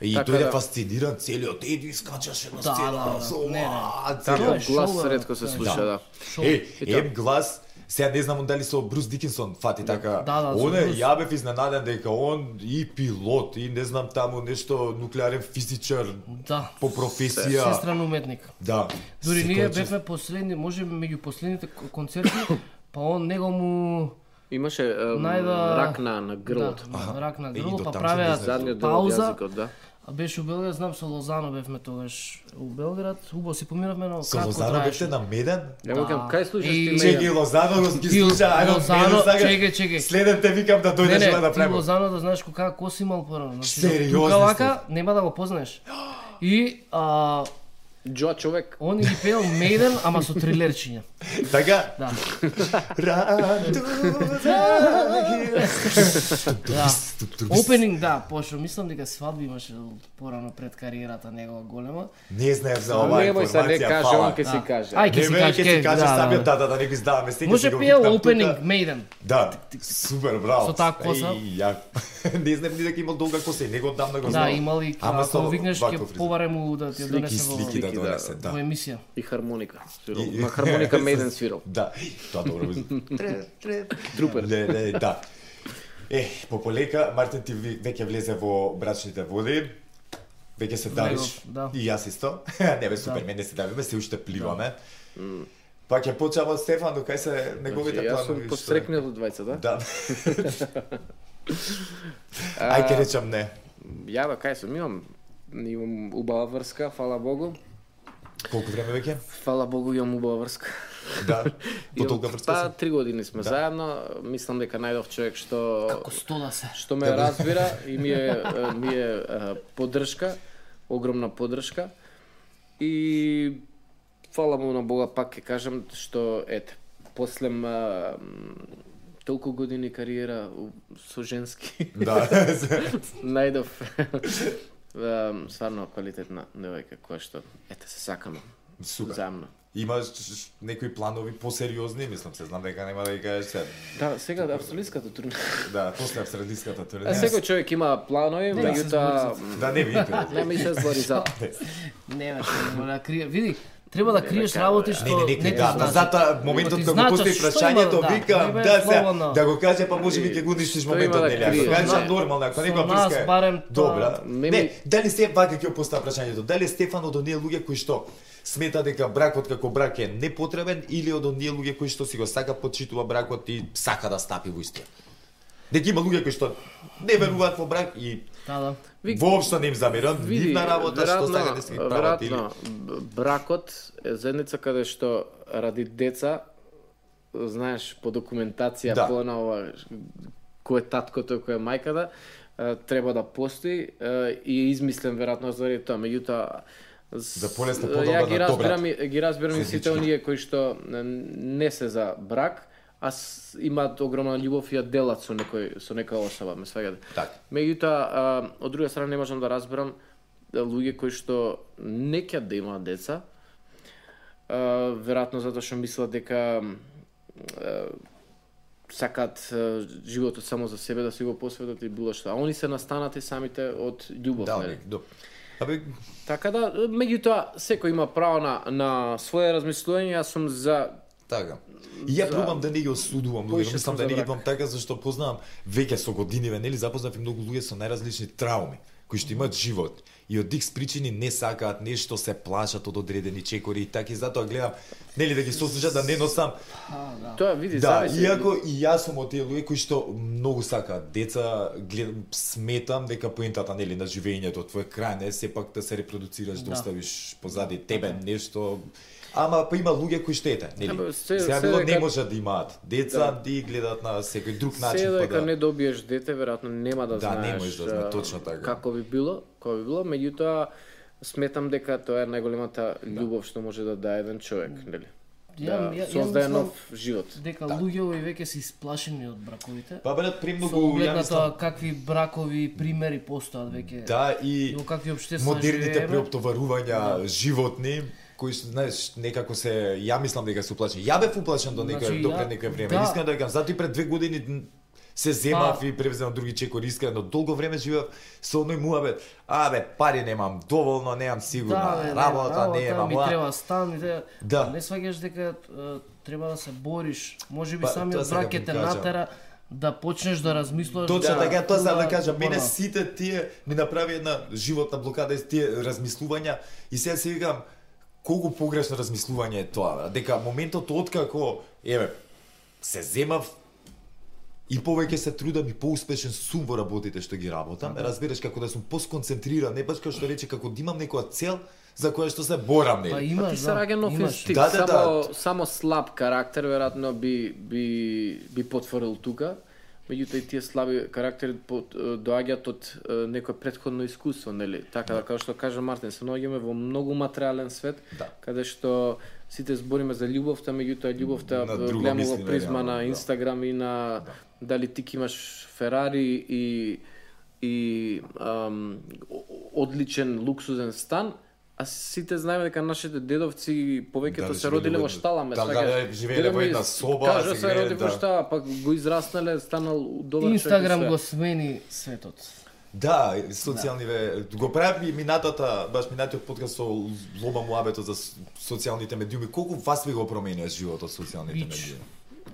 И
Така
тој е
да.
фасциниран целиот Еди скачаше на
Да,
сцена.
да, да.
со-
Не, не.
уа,
Таму
Тоа е
целиот.
глас
шоу,
ретко се
да.
слуша,
Да.
да.
Шоу.
Е,
И тоа.
ем глас, сега не знам дали со Брус Дикинсон фати така.
Да, да, со
Он е,
Брус.
ја бев изненаден дека он и пилот, и не знам таму нешто нуклеарен физичар
Да.
по професија.
Сестран уметник.
Да.
Дури
Секоја
ние
чест.
бевме последни, може би меѓу последните к- концерти, па он него му
Имаше ем,
Најда-
рак на на грлото.
Да, рак на
И
грло,
до
па
таму
правеа
се
Задниот дел од
пауза.
јазикот, да.
А беше у Белград, знам со Лозано бевме тогаш у Белград. Убаво си поминавме, но
Со
кратко
Лозано
траеше.
бевте на меден?
Ја му кажам, кај слушаш
И-
ти
Чеки
Maiden?
Лозано го ги
Ти
слуша, ајде
Лозано, чекај, чекај.
Следен те викам да
Не,
дојдеш
не,
ова да
ти
правиме.
Лозано да знаеш која кос имал порано. Значи,
Сериозно
тука
сте?
вака, нема да го познаеш. И а,
Џо човек.
он ги пеел Maiden, ама со трилерчиња.
Така?
Да. Да. Опенинг, да, пошо, мислам дека свадби имаше порано пред кариерата негова голема.
Не знаев за оваа
Немој се не
информација,
каже,
фала.
он ке си
Да.
каже.
Ај, ке си
Не,
кажеш,
ке си кажеш
да,
сами,
да.
да, да, да не го издаваме стеки.
Може пеел опенинг Maiden.
Да, супер, браво.
Со таа коса.
Еј, ја не знаев ни дека имал долга коса и него одамна го
Да,
знам.
имал и
Ама
ако
со
го викнеш
ваква
ќе
фриза.
поваре му да ти ја
Слики,
донесе во
слики да
Слики, да.
донесе,
во
да.
емисија.
И хармоника. свирал.
И-
На хармоника Maiden свирал.
Да, тоа добро ми. Тре, тре.
Трупер.
Не, не, да. Е, по полека, Мартин ти ви- веќе влезе во брачните води. Веќе се давиш.
Влегов, да.
И јас исто. Не бе, супер,
Да.
мене се давиме, се уште пливаме. Па ќе почнеме од Стефан, до кај се неговите
Значи, Јас сум
планови. што-
пострекнат од двајца, да?
Да. Ај ќе речам не.
Ја бе, кај сум, имам имам убава врска, фала Богу.
Колку време веќе?
Фала Богу, имам убава врска.
Да. По
Имам-
толка врска
Па,
се.
три години сме заедно. Мислам дека најдов човек што
Како сто да се.
што ме разбира и ми е е, ми е е, поддршка, огромна поддршка. И фала му на Бога, пак ќе кажам што ете, после м, толку години кариера у- со женски
Да.
најдов е, стварно квалитетна девојка која што ете се сакаме
Супер.
заемно.
Имаш некои планови посериозни, мислам се, знам дека нема да ги кажеш се.
Да, сега да австралиската турне.
Да, после австралиската
А
турнеја.
секој човек има планови,
Не, се
меѓутоа
Да, не викам.
нема и се збори за.
Не, бе, нема да крие. Види, треба да криеш
кажа,
работи
бе.
што
Не, не, не,
не ти
да,
значат.
затоа моментот
Ти
кога
значат,
постои
што има
прашањето,
да,
викам,
не бе,
да се,
слободно.
да го каже, па може би ќе го уништиш
Што
моментот,
има да
нели? Ако
криеш?
кажеш
Со-
нормално, ако
со
некоја
нас
приска е
барем тоа-
добра.
Не
Не,
ми-
дали се вака ќе постави прашањето, дали Стефан од оние луѓе кои што смета дека бракот како брак е непотребен или од оние луѓе кои што си го сака, почитува бракот и сака да стапи во истија? Дека има луѓе кои што не веруваат во брак и
Да, да.
Ви-
воопшто не им замерам, нивна работа што
веројатно-
сака да се ги прават или
веројатно, б- бракот е заедница каде што ради деца, знаеш, по документација,
Да.
по на ова, кој е таткото, кој е мајката, е, треба да постои е, и е измислен веројатно заради тоа. Меѓутоа, с-
За полесна
ја
подоба
ги
на
разбирам, и- ги разбирам и сите
Физички.
оние кои што е, не се за брак, а с- имаат огромна љубов и ја делат со некој со некоја особа, ме сваѓате.
така.
Меѓутоа, а, од друга страна не можам да разберам а, луѓе кои што не ќе да имаат деца, а, веројатно затоа што мислат дека а, сакаат а, животот само за себе да си го посветат и било што. А они се настанати самите од љубов,
Да,
нели?
не, до. Абе,
Така да, меѓутоа секој има право на на свое размислување, јас сум за
така. И ја
За-
пробам да не ги осудувам луѓе,
Поише
мислам
сум
да
за
не ги
брак.
идвам така зашто познавам веќе со годиниве, нели запознав и многу луѓе со најразлични трауми кои што имаат живот и од икс причини не сакаат нешто, се плашат од одредени чекори и така и затоа гледам нели да ги сослужат да не носам.
А, да.
тоа види
Да,
зависи.
иако и јас сум од тие луѓе кои што многу сакаат деца, гледам, сметам дека поентата нели на живењето твој крај не е сепак да се репродуцираш, да,
Да.
оставиш позади тебе нешто. Ама па има луѓе кои штете, нели?
Абе, се-
Сега
се
било
дека-
не можат да имаат деца,
Да.
да гледаат на секој друг начин
Се
па
дека
да.
не добиеш дете, веројатно нема да,
Да, не
знаеш
можеш да знаеш,
а,
точно така.
како би било, како би било, меѓутоа сметам дека тоа е најголемата љубов што може да даде еден човек, нели?
Ја,
Да
ја, ја
создае
мислам
нов живот.
дека
Так.
луѓе веќе се исплашени од браковите.
Па бе,
Со
премногу
оглед
ја
на
мислам,
тоа какви бракови примери постојат веќе.
да и
Во какви општества
модерните
живееме.
преоптоварувања животни кои што знаеш некако се ја мислам дека се уплашени. Ја бев уплашен до некој
Значи,
до
ја-
пред некој време.
да.
Искрено да кажам, затоа и пред две години н- се земав
Па-
и превземав други чекори, искрено долго време живеев со оној муабет. Абе, пари немам доволно, немам сигурна
Да, бе,
работа,
не,
немам.
ми
муа.
треба стан, ми треба...
Да.
Не сваќаш дека е, треба да се бориш. Може би
Па, тоа
самиот
сакам
брак ќе
да
те
кажам.
натера да почнеш да размислуваш.
Точно
да,
така, тоа сам да
да,
кажам, мене
да.
сите тие ми направи една животна блокада и тие размислувања и сега си викам колку погрешно размислување е тоа, бе, дека моментот откако еве се земав и повеќе се трудам и поуспешен сум во работите што ги работам, разбираш како да сум посконцентриран, не баш како што рече како да имам некоја цел за која што се борам,
Па
нели?
Па
имаш,
ти се
да,
раѓа нов
имаш.
инстинкт,
Да, да,
само,
да.
само слаб карактер веројатно би, би, би потворил тука, меѓутоа и тие слаби карактери под, доаѓаат од е, некое претходно искуство, нели? Така да, како што кажа Мартин, се наоѓаме во многу материјален свет,
Да.
каде што сите збориме за љубовта, меѓутоа љубовта
На друго
гледаме во
мислиме,
призма
реално,
на
да.
Инстаграм и на дали ти ќе имаш Ферари и и ам, о- одличен луксузен стан, а сите знаеме дека нашите дедовци повеќето
Да,
се
живееле
родиле
во-
во штала, ме
да,
сваќаш?
да, живееле
Дедо
во
ми
една соба,
Кажа
се
се
играеле,
роди во
да.
штала, пак го израснале, станал добар човек.
Инстаграм
и
го
све.
смени светот.
Да, социјалниве го правев и минатата, баш минатиот подкаст со Лоба Муабето за с- социјалните медиуми. Колку вас ви го променија животот социјалните
Ич.
медиуми?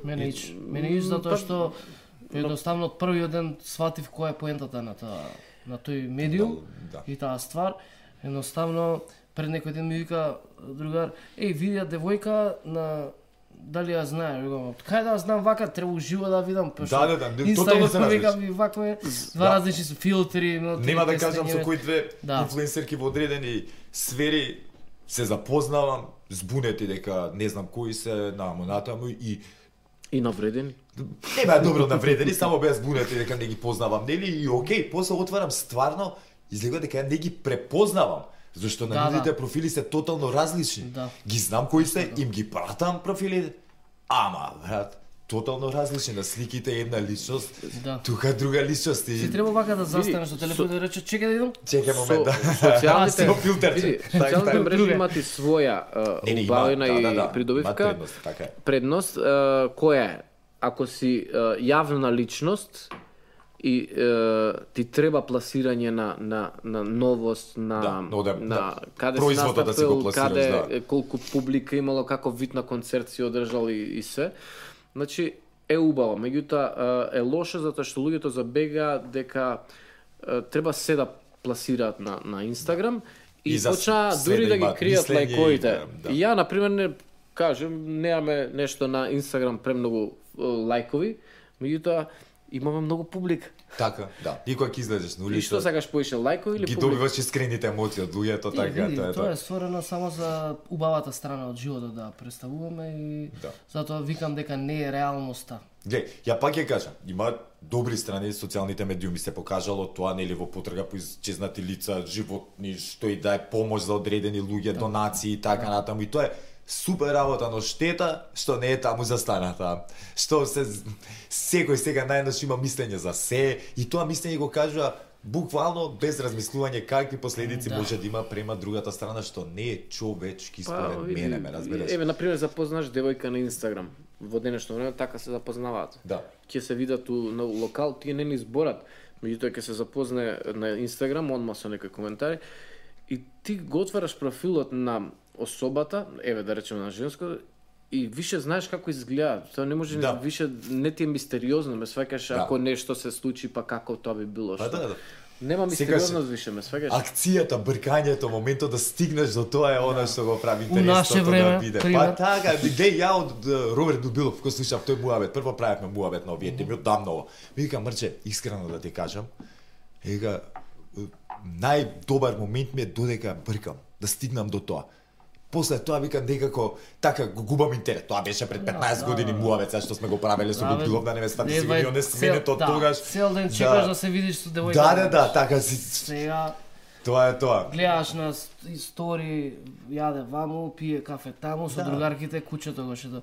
Мене ич, мене ич затоа
па-
што едноставно од првиот ден сватив која е поентата на тоа на тој медиум
Да.
и таа ствар. Едноставно пред некој ден ми вика другар, еј видија девојка на дали ја знае, викам, кај да ја знам вака, треба уживо да видам, па
Да, да, да, тотално
Инстаграм
се различни.
викам и вакво е, два
Да.
различни се филтри, но
Нема да кажам со кои две
Да.
инфлуенсерки во одредени сфери се запознавам, збунети дека не знам кои се на моната му и
И навредени.
не беа добро навредени, само беа збунети дека не ги познавам, нели? И окей, после отварам стварно, излега дека ја не ги препознавам. Зашто на
Да,
нивните
да.
профили се тотално различни.
Да.
Ги знам кои се, им ги пратам профилите. Ама, брат, тотално различни на сликите една личност,
Да.
тука друга личност и
Си треба вака да застанеш со телефонот и да рече чекај да идам.
чекај момент да.
социјалните
Со филтерче.
види,
Така,
социјалните
така.
мрежи имаат и своја
Не, не,
е,
има,
убавина
да,
и
да, да, имаат
придобивка.
предност, така е.
Предност е, која е? Ако си е, јавна личност и е, ти треба пласирање на на на новост, на
Да, но да-
на
да.
каде си
Производот да си го
настапил,
пласираш,
каде
да.
е, колку публика имало, каков вид на концерт си одржал и, и се. Значи е убаво, меѓутоа е, е лошо затоа што луѓето забегаат дека е, треба се да пласираат на на Инстаграм и,
И за
почнаа
се
дури
да
да ги
имаат
кријат
мислење и
лајковите.
да.
И ја на пример не кажем немаме нешто на Инстаграм премногу е, лајкови, меѓутоа имаме многу публика.
Така, да. И кога ќе излезеш на
И што
улица,
сакаш поише лајкови или
ги
публика?
добиваш искрените емоции од луѓето,
Е,
така,
види,
тоа е
тоа
тоа.
е створено само за убавата страна од животот да представуваме и
Да.
затоа викам дека не е реалноста.
Глеј, ја пак ќе кажам, има добри страни социјалните медиуми, се покажало тоа нели во потрага по исчезнати лица, животни, што и да е помош за одредени луѓе, донации и така натаму и тоа е супер работа, но штета што не е таму застаната. Што се секој сега најнаш има мислење за се и тоа мислење го кажува буквално без размислување какви последици
Да.
може да има према другата страна што не е човечки
Па,
според
види,
мене, ме разбираш.
Еве на пример запознаш девојка на Инстаграм. Во денешно време така се запознаваат.
Да.
Ќе се видат у, на локал, тие не ни зборат. Меѓутоа ќе се запозне на Инстаграм, одма со некои коментари. и ти го отвараш профилот на особата, еве да речеме на женско, и више знаеш како изгледа. Тоа не може
Да.
више не ти е мистериозно, ме сваќаш
Да.
ако нешто се случи, па како тоа би било.
Па
Што?
да, да.
Нема
Секогаш-
мистериозност више, ме сваќаш.
Акцијата, бркањето, моментот да стигнеш до тоа е она што го прави
У наше
интересното
време,
да биде.
пример.
Па така, глеј, ја од е, Роберт Дубилов, кој слушав тој муабет, прво правевме муабет на овие теми одамново. Ми вика, мрче, искрено да ти кажам, вика, најдобар момент ми е додека бркам, да стигнам до тоа. После тоа вика некако така го губам интерес. Тоа беше пред петнаесет
Да,
години
да.
муабет, сега што сме го правеле со
Да, бе,
Дубилов, да не ме свати
не,
си
бе,
го не
цел-
сменето од
да,
тогаш.
Цел ден чекаш да се видиш со девојка.
Да, да, да, така си.
Сега
Тоа е тоа.
гледаш на с- истори, јаде ваму, пие кафе таму, со
Да.
другарките, куќето го шето.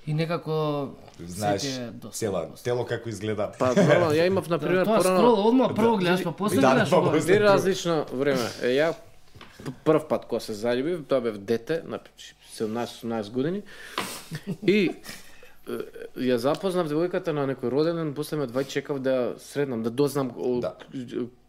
И некако
Знаеш,
сеќе е доста.
цела
доста.
тело како изгледа.
Па нормално, ја имав на пример
Тоа
порано
скрол, одма прво гледаш, па после
Да,
гледаш.
па
кога-
после.
Две различно време. Е, ја п- прв пат кога се заљубив, тоа бев дете на седумнаесет-осумнаесет години. И е, ја запознав девојката на некој роден ден, после ме двај чекав да ја среднам, да дознам о,
Да.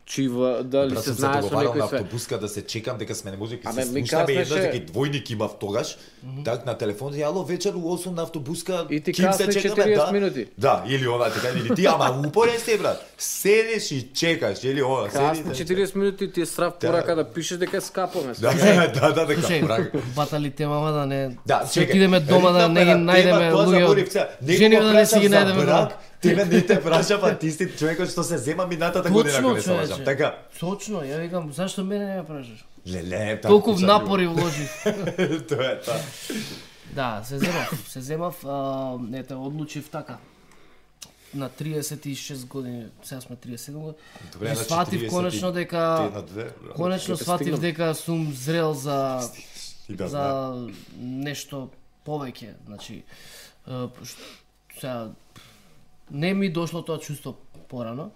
чива, дали
Брат,
се
сум се
знае со
договарал на
некој све.
автобуска да се чекам дека сме не може ќе
Абе,
се
ми
слушаме еднаш
каснеше-
дека и двојник имав тогаш. Так на телефон, ало вечер у осум на автобуска.
И ти
ким се
касни
чекаме,
четириесет
да?
минути.
Да, или она така или ти, ама упорен сте брат. Седиш и чекаш или она,
Касни
седиш.
четириесет минути ти е страв
Да.
порака да пишеш дека е скапо ме.
Да, да, да, дека
Слушај,
прак.
батали темава да не...
Да,
се
чекај.
отидеме дома да не ги
ритнавме на
најдеме
тема, тоа
луѓе
заборив
од...
сега. Него
Жени
го
да не си ги
прашав за
најдеме
брак,
дома.
тебе не те праша, па ти си човекот што се зема минатата година, ако
Точно,
не се лажам.
човече.
Така.
Точно, ја викам, зашто мене не ме прашаш?
Леле, така.
Толку напори вложив.
Тоа е тоа.
Да, се земав, се земав, а, ете, одлучив така. На триесет и шест години, сега сме триесет и седум години.
Добре,
И
значи
сватив
триесет и
конечно дека
на две, брат.
конечно
Ќе
сватив
стигнам.
дека сум зрел за
И да знам.
за нешто повеќе, значи е, ш- сега не ми дошло тоа чувство порано.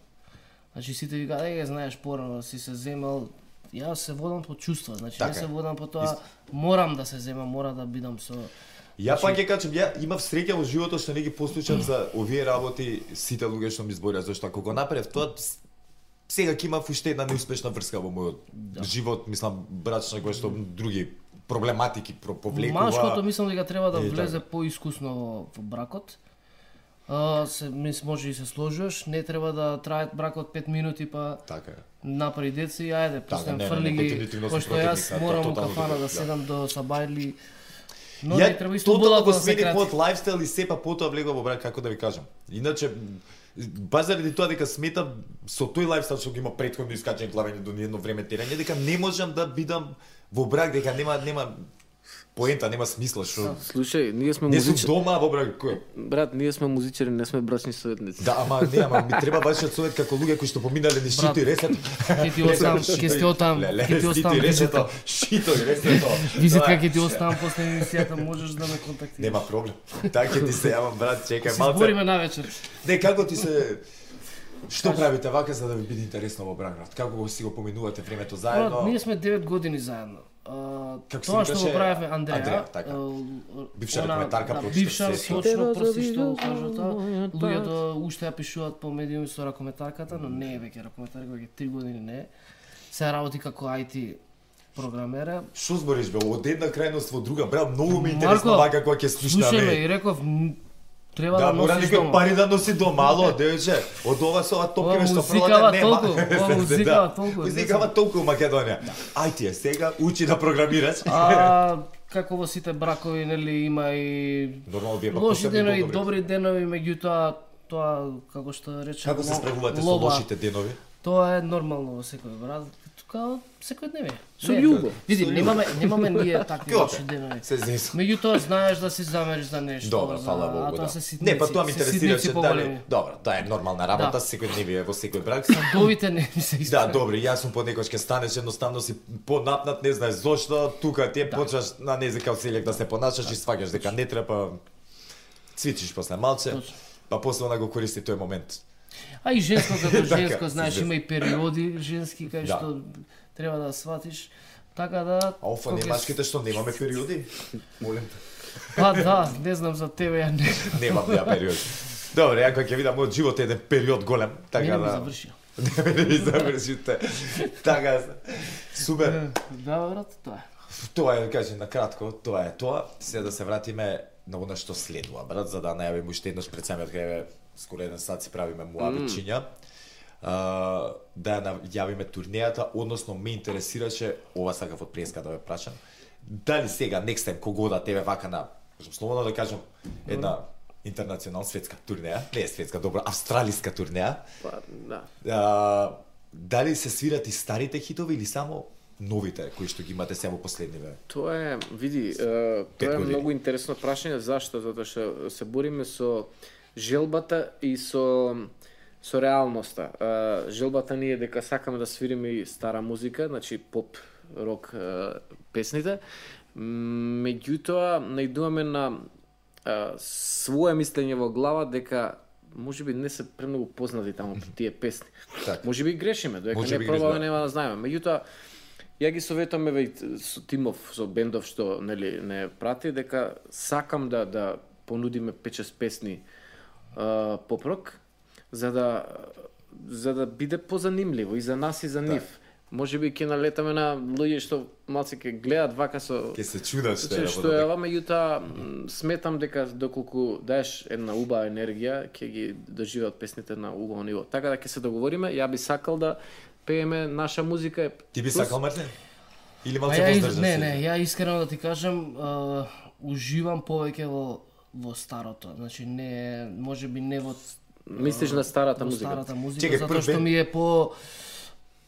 Значи сите викаат, еј, знаеш порано си се земал. Јас се водам по чувства, значи
Така
не
е.
се водам по тоа,
Исто.
морам да се земам, мора да бидам со
Ја пак ќе кажам, ја имав среќа во животот што не ги послушам за овие работи сите луѓе што ми зборија, зашто ако го направев тоа с- сега ќе имав уште една неуспешна врска во мојот живот, мислам брачна која што други проблематики про- повлекува.
Машкото мислам дека треба да
Е,
влезе
така.
поискусно во, во бракот. А, се, мис, може и се сложуваш, не треба да трае бракот пет минути па
Така е.
направи деца и ајде, пустем
не, не,
фрли
не,
ги,
дефинитивно сум
пошто
противник
јас
на тоа,
морам у
тотално
кафана
добро,
да
да.
седам до сабајли. Но
Ја
не треба исто
тотално
булата
го
да се
сменив
крати.
мојот лајфстайл и сепа потоа влегов во брак, како да ви кажам. Иначе баш заради тоа дека сметам со тој лајфстайл што го има претходно искачен главење до едно време терање, дека не можам да бидам во брак, дека нема нема поента, нема смисла што
Слушај, ние сме
не сум
музичари.
дома во брак. Кој?
Брат, ние сме музичари, не сме брачни советници.
Да, ама не, ама ми треба вашиот совет како луѓе кои што поминале низ шито и ресето.
Ќе ти оставам, ќе сте отам,
Леле,
ќе ти оставам
шито и ресето,
визитка.
шито и ресето.
Визитка
Тоа е.
ќе ти оставам после емисијата, можеш да ме контактираш.
Нема проблем. Така ќе ти се јавам, брат, чекај
Се
малце.
збориме навечер.
Не, како ти се Што правите вака за да ви биде интересно во брак, брат? Како го си го поминувате времето заедно?
Брат, ние сме девет години заедно. А,
Како се
тоа што
викаше?
го правевме Андреја,
Андреја, така.
а,
Бивша
она-
ракометарка,
да,
прочита
бивша,
се.
точно проси што го кажа тоа. Луѓето уште ја пишуваат по медиуми со ракометарката, но не е веќе ракометарка, веќе три години не е. Се работи како ај ти програмера.
Што збориш бе? Од една крајност во друга, брат, многу ми е
Марко,
интересно вака кога ќе
Слушаме
слушаме.
и реков, м, треба
Да,
да,
мора
носиш
некој
дома.
пари да носи дома, ало, девојче. Од ова со ова
Ова
топкиве што
музикава
продаде нема.
толку, ова музикава толку.
Музикава толку у Македонија. Ај ти е сега, учи да програмираш.
А како во сите бракови, нели, има и
Нормално вие пак
лоши
посебни
денови,
подобри.
добри денови, меѓутоа тоа како што рече
Како се
ло-
справувате со
лоба,
лошите денови?
Тоа е нормално во секој брат. Тука секојдневие.
Со
Не,
љубов.
Види,
Со
немаме немаме ние такви
Ке
лоши
опе?
денови.
Се зесам.
Меѓутоа знаеш да си замериш за нешто.
Добро,
за-
фала
а
Богу,
тоа
да.
се ситници.
Не, па тоа ме
се
интересираше
ситници
дали.
поголеми.
Добро, тоа е нормална работа,
Да.
секојдневие во секој брак.
Садовите не ми се
Да,
испраќаат.
добро, јас сум понекогаш ќе станеш едноставно си понапнат, не знаеш зошто, тука ти
Да.
почваш на нези као селек да се понашаш и сваќаш дека не треба, цвичиш после малце,
Точно.
па после она го користи тој момент.
А и женско като
Така,
женско, знаеш,
се
има и периоди женски кај
Да.
што треба да сватиш. Така да...
А офа, не
кога ќе-
мачките што немаме периоди? Молим те.
Па да, не знам за тебе, ја не.
Немам ја период. Добре, ја кога ќе видам мојот живот е еден период голем, така
Не, не ми
да.
заврши.
Не ми завршите. Така, супер.
Да, брат, тоа е.
Тоа е, кажи на кратко, тоа е тоа. Сега да се вратиме на она што следува, брат, за да најавиме уште еднаш пред самиот крај, скоро еден сат си правиме муабетчиња. Uh, да најавиме турнејата, односно ме интересираше, ова сакав од преска да ве прашам, дали сега, next time, когода тебе вака на, можам слободно да кажам, една интернационална светска турнеја, не е светска, добро, австралиска турнеја.
Па, да.
Uh, дали се свират и старите хитови или само новите кои што ги имате сега во последниве?
Тоа е, види, е, тоа е многу интересно прашање, зашто? Затоа што се бориме со желбата и со со реалноста. Uh, желбата ни е дека сакаме да свириме и стара музика, значи поп, рок uh, песните. Меѓутоа, најдуваме на uh, свое мислење во глава дека можеби не се премногу познати таму тие песни.
Так.
Можеби грешиме, додека
Може
не
би
пробаме
греш, да.
нема да знаеме. Меѓутоа, ја ги советуваме веќе со тимов, со бендов што нели не прати, дека сакам да да понудиме пет-шест песни uh, поп-рок, за да за да биде позанимливо и за нас и за нив.
Да.
Можеби ќе налетаме на луѓе што малце ќе гледат вака со
Ќе се чудат што е
што е ова, меѓутоа сметам дека доколку даеш една убава енергија, ќе ги доживеат песните на убаво ниво. Така да ќе се договориме, ја би сакал да пееме наша музика.
Ти би
Плюс-
сакал, Мартин? Или
Па
малце
ја, из-
воздржаш?
не, не, ја искрено да ти кажам, а, уживам повеќе во во старото. Значи не, можеби не во
Мислиш на старата
во
музика?
старата музика,
Чекај,
затоа
прв
што
бе-
ми е по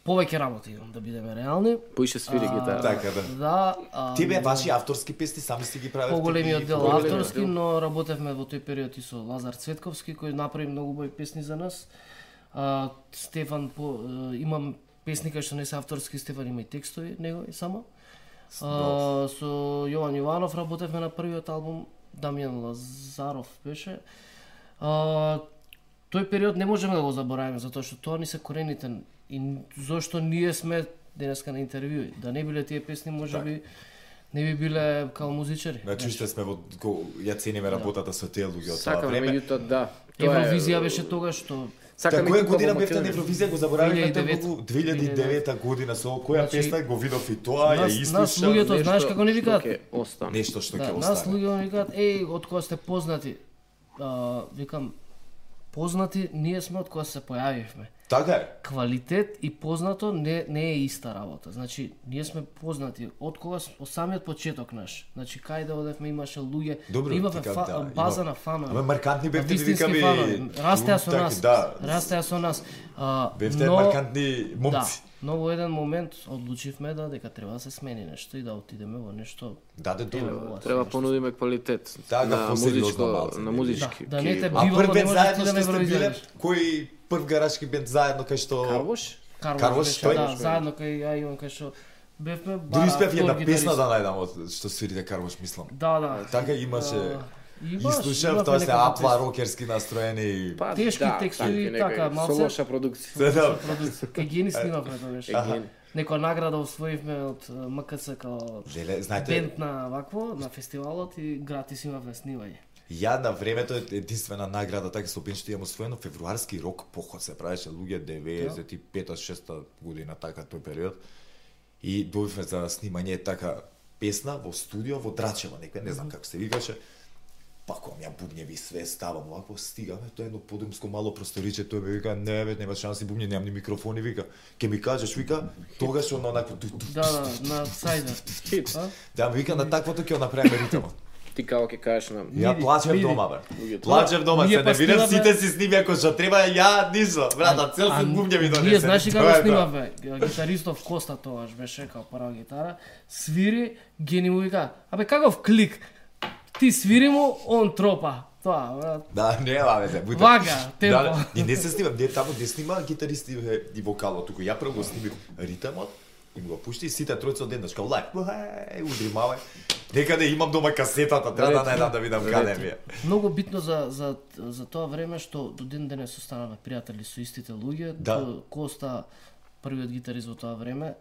повеќе работи имам, да бидеме реални.
Поише свири
А,
гитара.
Така, да.
Да, а,
Ти бе
но
ваши авторски песни, сами сте ги правевте?
поголемиот
ги-
дел
поголемиот
авторски,
дел.
но работевме во тој период и со Лазар Цветковски, кој направи многу бои песни за нас. А, Стефан, по, е, имам песни кои што не се авторски, Стефан има и текстови негови само. А, со Јован Јованов работевме на првиот албум, Дамјан Лазаров беше. А, тој период не можеме да го заборавиме, затоа што тоа ни се корените и зошто ние сме денеска на интервјуи. Да не биле тие песни, можеби не би биле као музичари.
Значи уште сме во го- ја цениме работата со тие луѓе од тоа
Сакаме,
време.
меѓутоа да. Тоа е-
Евровизија беше тогаш што
Така,
Сакаме
која
тука
година
во
бевте на
Македонија.
Евровизија, го заборавивме
две илјади и девета.
многу, две илјади и девета година, со која
Значи,
песна го видов и тоа, ја
нас- нас
изслушав.
луѓето- знаеш
Нешто
како ни викаат?
што ќе остане.
Нешто што
да,
ќе
нас
остане.
луѓе ни викаат, еј, од кога сте познати? А, викам, познати, ние сме од кога се појавивме.
Така е.
Квалитет и познато не не е иста работа. Значи, ние сме познати од кога с- од самиот почеток наш. Значи, кај да одевме имаше луѓе,
Добро,
имавме
така,
фа,
да,
база
има-
на фанови.
Ама маркантни бевте, ви
Вистински
викаме,
фанови. Растеа со
така,
нас.
да.
Растеа со нас. А,
Бевте
но,
маркантни
да,
момци.
но во еден момент одлучивме да дека треба да се смени нешто и да отидеме во нешто.
Да, да,
Еве,
добро.
ова се
Треба
нешто.
понудиме квалитет
Така,
на
посериозно
музичко,
малце,
на
нели?
музички.
Да, да не те
А
Бивало
прв
не
бенд
може да
заедно
стине
што
на
сте биле,
Евровизија.
кој прв гарашки бенд заедно кај што...
Карвош?
Карвош,
Карвош,
беше,
тој?
да, заедно кај ја имам кај што бевме
Дури
бара,
испев една
втор
песна
гитарист.
да најдам од што свирите Карвош, мислам.
Да, да.
Така имаше...
А, имаш,
Изслушав,
имавме
тоа се
неколку
апла
песни.
рокерски настроени и...
Па,
Тешки текстови,
такви
така,
некои,
малце-
Со лоша продукција.
Да, да.
Продукција. Кај Гени снимавме тогаш.
Аха.
Некоја награда освоивме од е, МКЦ као
Леле, знаете,
бенд на вакво, на фестивалот и гратис имавме снимање.
ја на времето единствена награда така со бенд што имам освоено февруарски рок поход се правеше луѓе деветдесет и пета шеста година така тој период. И добивме за снимање така песна во студио во Драчево некој, не знам како се викаше. Пакувам ја бубњеви све, ставам овако, стигаме, тоа е едно подумско мало просториче, тој ме вика, не бе, нема шанси бубњи, немам ни микрофони, вика. Ке ми кажеш, вика, тогаш оно онако ту, ту,
Да, да, на сајда.
Хит.
А?
да, ми вика на таквото ќе го направиме ритмот.
Ти како ќе кажеш на
Ја
Види,
плачев
види.
дома, бе.
луѓето?
Плачев дома,
Ние
се
па
не видев
снимавме-
сите си сними ако што треба, ја ништо. Брата, цел
А,
се бубњеви донесе.
Ние знаеш ли
Тоа
како
е тоа.
снимавме? Гитаристов Коста тогаш беше као прва гитара, свири, Гени му вика, абе каков клик? Ти свири му, он тропа. Тоа, брат.
Да, нема веќе, бујте.
Вага, темпо.
Да, да. И не се снима, не таму не снима гитаристи е, и вокалот, туку ја прво го снимив ритмот и му го пушти и сите тројца одеднаш као лајф. Уе, удримавај. Некаде имам дома касетата, треба да најдам да видам каде ми е.
Многу битно за, за, за тоа време што до ден денес останавме пријатели со истите луѓе.
Да.
Тој Коста, првиот гитарист во тоа време,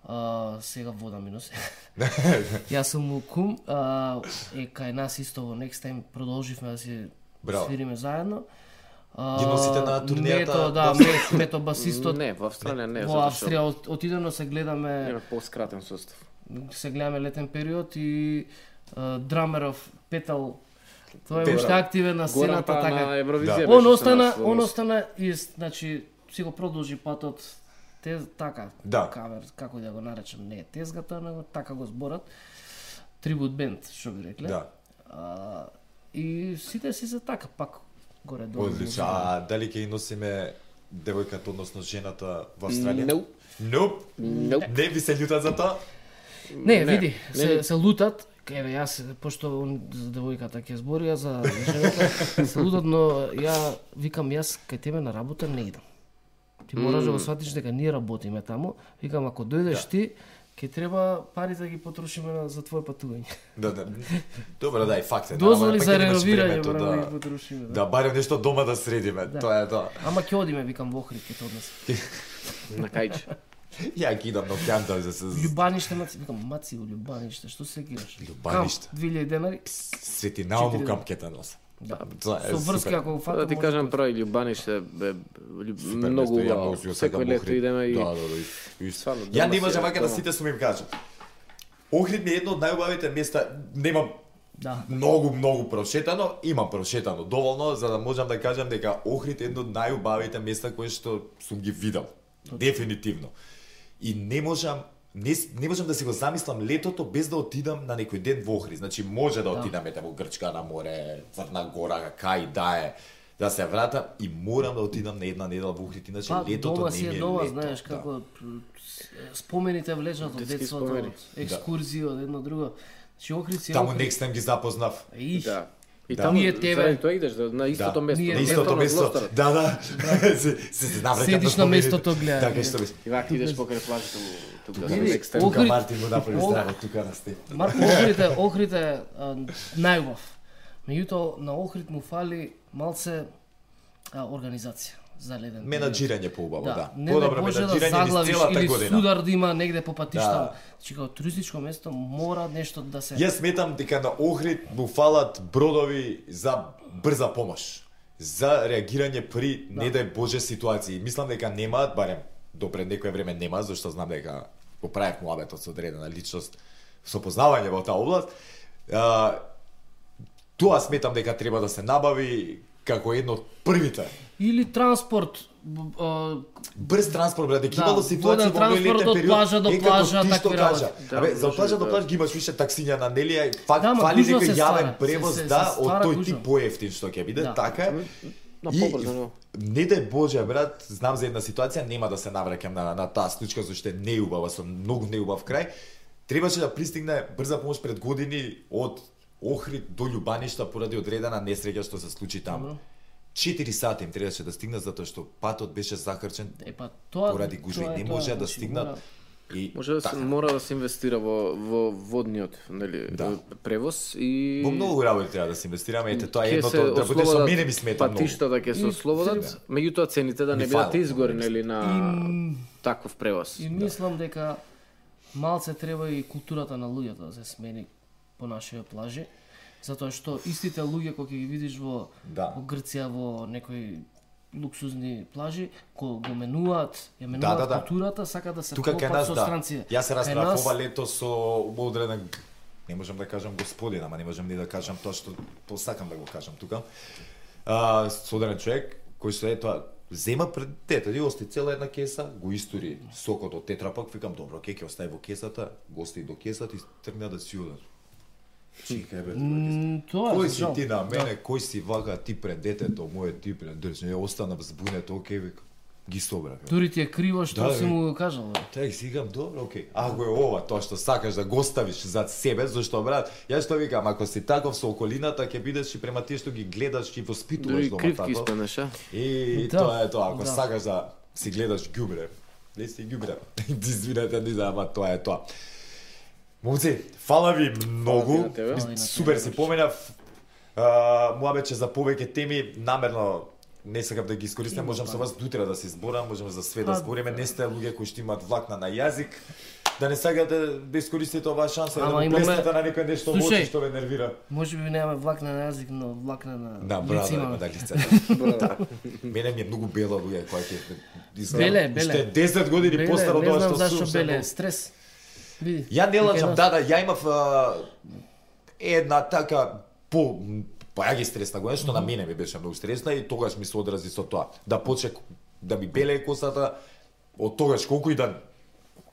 а, сега вода ми носи. Јас сум му кум, а, е кај нас исто во Next Time продолживме да си
Браво.
свириме заедно.
Ги носите на турнијата?
Мето, да, мето, мето басистот.
Не, во Австралија не,
Во Австрија от- отидено се гледаме,
Има поскратен состав.
се гледаме летен период и а, драмеров Петал, тој е
Петал.
уште активен на
Горан
сцената
па
така.
на Евровизија
Да.
беше
Он
со
остана,
нас во
он
Мост.
остана и значи си го продолжи патот те така,
Да.
кавер, како и да го наречем, не е тезгата, него така го зборат. Трибут бенд, што би рекле.
Да.
А, и сите си се така пак горе долу.
Одлично. А дали ќе ги носиме девојката, односно жената во Австралија?
Nope.
Nope.
Nope.
Не ви се љутат за тоа?
Не,
Не,
види,
не,
се,
не.
се лутат, еве јас пошто он за девојката ќе збори, а за жената се лутат, но ја викам јас кај тебе на работа не идам. Ти мораш да го сватиш дека ние работиме таму. Викам ако дојдеш ти, ќе треба парите да ги потрошиме на за твое патување.
Да, да. Добро, да, и факт е.
Дозволи
Пак
за
ќе имаш
реновирање
времето,
мораме да
да.
ги потрошиме. Да.
Да, барем нешто дома да средиме. Тоа е тоа.
Ама ќе одиме, викам во Охрид ќе те однесам.
На кајче.
Ја ги идам на Кјанта за се
Љубаниште, маци, викам маци у Љубаниште, што се гираш?
Љубаниште.
Кам, две илјади денари.
Свети наому
Четири
кам ќе те носа.
Да.
Тоа е
Со врски
супер.
ако го
Да
фатам.
ти
може
кажам
да-
прави Љубаниште бе љуб-
Супер
многу
место, ја
убаво.
многу си го сакам
Секој лето
Охрид.
идеме и
Да, да, да. и- и-
Стварно,
Ја
дома
не
си
можам
е,
вака да
дома.
сите сум им кажам. Охрид ми е едно од најубавите места. Немам
Да.
многу, многу прошетано, имам прошетано доволно за да можам да кажам дека Охрид е едно од најубавите места кои што сум ги видел. Дефинитивно. И не можам не, не можам да си го замислам летото без да отидам на некој ден во Охрид. Значи може да отидам ете во Грчка на море, Црна Гора, кај да е, да се вратам и морам да отидам на една недела во Охрид, иначе
Па,
летото
дома
не
си
ми
е
е
дома,
лето.
знаеш,
да.
како спомените влечат од
Детски
детството,
спомени.
од екскурзии, од едно друго. Значи Охрид си е
Таму
Охрид.
next time ги запознав.
Иш,
Да. И
Да.
таму
Ние тебе-
заради тоа идеш да, на истото
Да.
место.
Ние
На
тебе-
истото
Место на
место.
Злостарот.
Да, да. се се се наврекам
Седиш на
спомените.
местото, гледаш.
Така што беше.
И вака идеш покрај плажата тука
Тука,
за
Види,
next time.
тука
Охрид-
Мартин му направи
Ох-
здраво, тука да сте.
Марко Охрид е, Охрид е а, најубав. Меѓутоа на Охрид му фали малце а, организација за леден.
Менаџирање поубаво,
Да,
да.
не
Подобро
може да
менаџирање низ
заглавиш
целата
или
година.
судар да има негде по патишта.
Да.
Значи како туристичко место мора нешто да се...
Јас сметам дека на Охрид му фалат бродови за брза помош, за реагирање при
Да.
не дај Боже ситуации. Мислам дека немаат, барем до пред некое време нема, зашто знам дека го правев муабетот со одредена личност со познавање во таа област. А, тоа сметам дека треба да се набави како едно од првите.
Или транспорт, б- а,
Брз транспорт, брат, дека
Да,
имало ситуации
воден
во овој
транспорт
летен
од
период.
плажа до
е како
плажа,
ти што
такви
кажа.
работи.
Да,
Абе, за
може
плажа
да.
до плаж ги имаш више таксиња на нелија, факт
Да, ама
фали
гужва
некој
се
јавен
ствара.
превоз,
Се- се-
да,
се
од
ствара
тој
гужва.
тип поевтин што ќе биде,
Да.
така.
На
И
побрзано.
не дај Боже, брат, знам за една ситуација, нема да се навраќам на, на таа случка, зашто е неубава, со многу неубав крај. Требаше да пристигне брза помош пред години од Охрид до Љубаништа поради одредена несреќа што се случи таму.
Добро.
четири сати им требаше да стигнат затоа што патот беше захрчен
Е, па, тоа,
поради гужва
тоа
и
е
не
тоа,
можеа да
значи,
стигнат.
мора-
И
Може да се,
така.
мора да се инвестира во во водниот, нели,
Да.
превоз и
Во многу работи треба да се инвестираме, ете тоа е
ќе
едното,
се
да буде со
ослободат
мене ми смета многу.
патиштата ќе се
И-
ослободат, меѓутоа цените да
Ни
не бидат
фала.
изгорени на
И-
таков превоз.
И мислам дека малце треба и културата на луѓето да се смени по нашите плажи, затоа што истите луѓе кои ќе ги видиш во,
Да.
во Грција, во некои луксузни плажи, кои го менуваат, ја
Да,
менуваат
да, да.
културата, сака да се
Тука кај
клопат
нас
со
да.
странци.
Јас се
Кај
расправав
нас-
ова лето со одреден, не можам да кажам господин, ама не можам ни да кажам тоа што посакам да го кажам тука. А, со одреден човек кој што е тоа зема пред тета, и ости цела една кеса, го истори сокот од тетрапак, викам добро, ке ќе остави во кесата, го остави до кесата и тргна да си одат. Чекај бе,
М, Тоа
кој
е
си
жал.
ти на мене, кој си вака ти пред детето моје, ти пред држне, ја остана збунето, окей, вика, ги собрав.
Дури ти е криво што
Да,
си
бе.
му го кажал. бе.
Така си викам, добро, окей. Ако е ова тоа што сакаш да го оставиш зад себе, зашто брат, јас што викам, ако си таков со околината, ќе бидеш и према тие што ги гледаш и воспитуваш
Дури
дома
кривки
тако.
испаднеш, а?
И
Да,
тоа е тоа, ако
да.
сакаш да си гледаш ѓубре, не си ѓубре. Извинете, не знам, ама тоа е тоа. Момци, фала ви многу.
на тебе.
Фала и на
Супер
тебе,
си
Борче.
поменав. А, муабече за повеќе теми, намерно не сакам да ги искористам, можам со вас дутре да се зборам, можеме за све да
Па,
збориме, не сте луѓе кои што имаат влакна на јазик. Да не сакате да искористите оваа шанса и да
Ама
му
имаме-
плеснете на некој нешто во
Слушај.
очи што ве нервира.
Може би немаме влакна на јазик, но влакна на
Да, брада,
лице
има
имаме.
да лице. Да. Мене ми е многу бела луѓе која ќе
Беле, беле.
Што е десет години
Беле,
постар од
не
ова
знам
што
зашто
слушам.
беле, стрес. Види.
Ја не лажам,
Веќе
да, да, ја имав а, една така по па ја ги стресна година, што на мене ми беше многу стресна и тогаш ми се одрази со тоа. Да почне да ми белее косата, од тогаш колку и да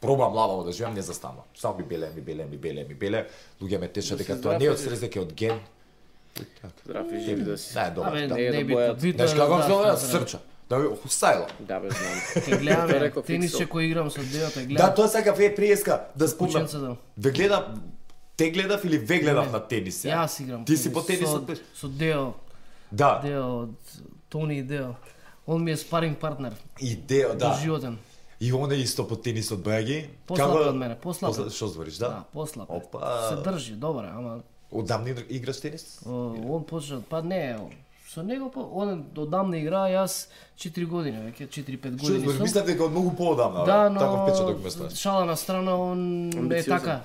пробам лававо да живеам, не застанува. Само ми белее, ми белее, ми белее, ми белее. Луѓе ме теша
Да
дека
си
тоа
здрав,
не е од
да.
стрес, дека е од ген.
Здрав и жив да си.
Да, е добар,
Абе,
да.
Не е
не
да
би
бојат.
битно.
Знаеш како се ова
да,
срча? Да ви хусајла.
Да, бе, знам.
Ќе
Тоа
гледаме
реков
тенисче
Фиксо.
кој играм со девата,
Да,
гледам.
тоа сакав е приеска да спомнам.
Кученцето.
Ве гледав, те гледав или ве гледав
Не.
на тенис? ја?
Јас играм.
Ти си
тенис
по тенисот?
со,
беше?
со Део,
Да,
Део од Тони и Део. Он ми е спаринг партнер.
идеја, да.
Доживотен.
И он е исто по тенисот бајаги.
Послаб од мене, послаб.
Посла- Што збориш, да?
Да, послаб.
Опа.
Се држи, добро, ама
Одамна игра- играш тенис?
о, он почна, па не, со него по, он одамна игра, јас четири години, веќе четири-пет
Што
години
збориш?
сум.
Мислев дека од многу поодамна.
Да,
бе. Таков печаток ме
но
ставиш.
шала на страна, он е
Амбициозен.
така.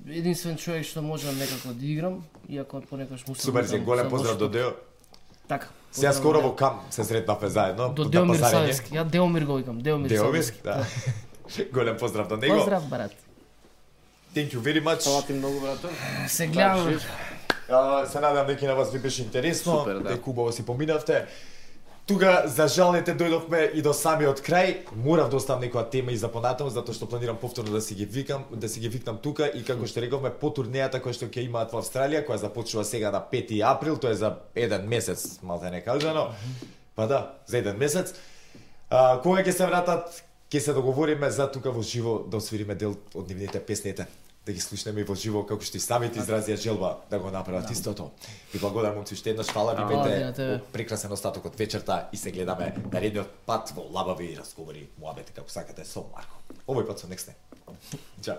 Единствен човек што можам некако да играм, иако понекогаш му
Супер,
мутам
голем
со
поздрав до
лошото.
Део.
Така.
Сега
поздрав
скоро
до
во Кам се сретнавме заедно.
До
на
Деомир
пазарење.
Сависки. Ја Деомир го викам, Деомир
Деомир,
Сависки.
да. Голем поздрав до него.
Поздрав, брат.
Thank you very much.
Фала ти многу, брато.
Се гледам.
А, се надам дека и на вас ви беше интересно,
Супер, да.
дека убаво си поминавте. Тука, за жал, ете дојдовме и до самиот крај. Морав да оставам некоја тема и за понатаму, затоа што планирам повторно да си ги викам, да си ги викнам тука и како што рековме по турнејата која што ќе имаат во Австралија, која започнува сега на пети април, тоа е за еден месец, малте не кажано. Па да, за еден месец. А, кога ќе се вратат, ќе се договориме за тука во живо да освириме дел од нивните песните, да ги слушнеме и во живо како што и самите изразија желба да го направат истото. Ви благодарам момци уште еднаш, фала ви,
Фала ти
имајте
на тебе.
прекрасен остаток од вечерта и се гледаме наредниот пат во лабави разговори, муабети како сакате со Марко. Овој пат со Next Time. Чао.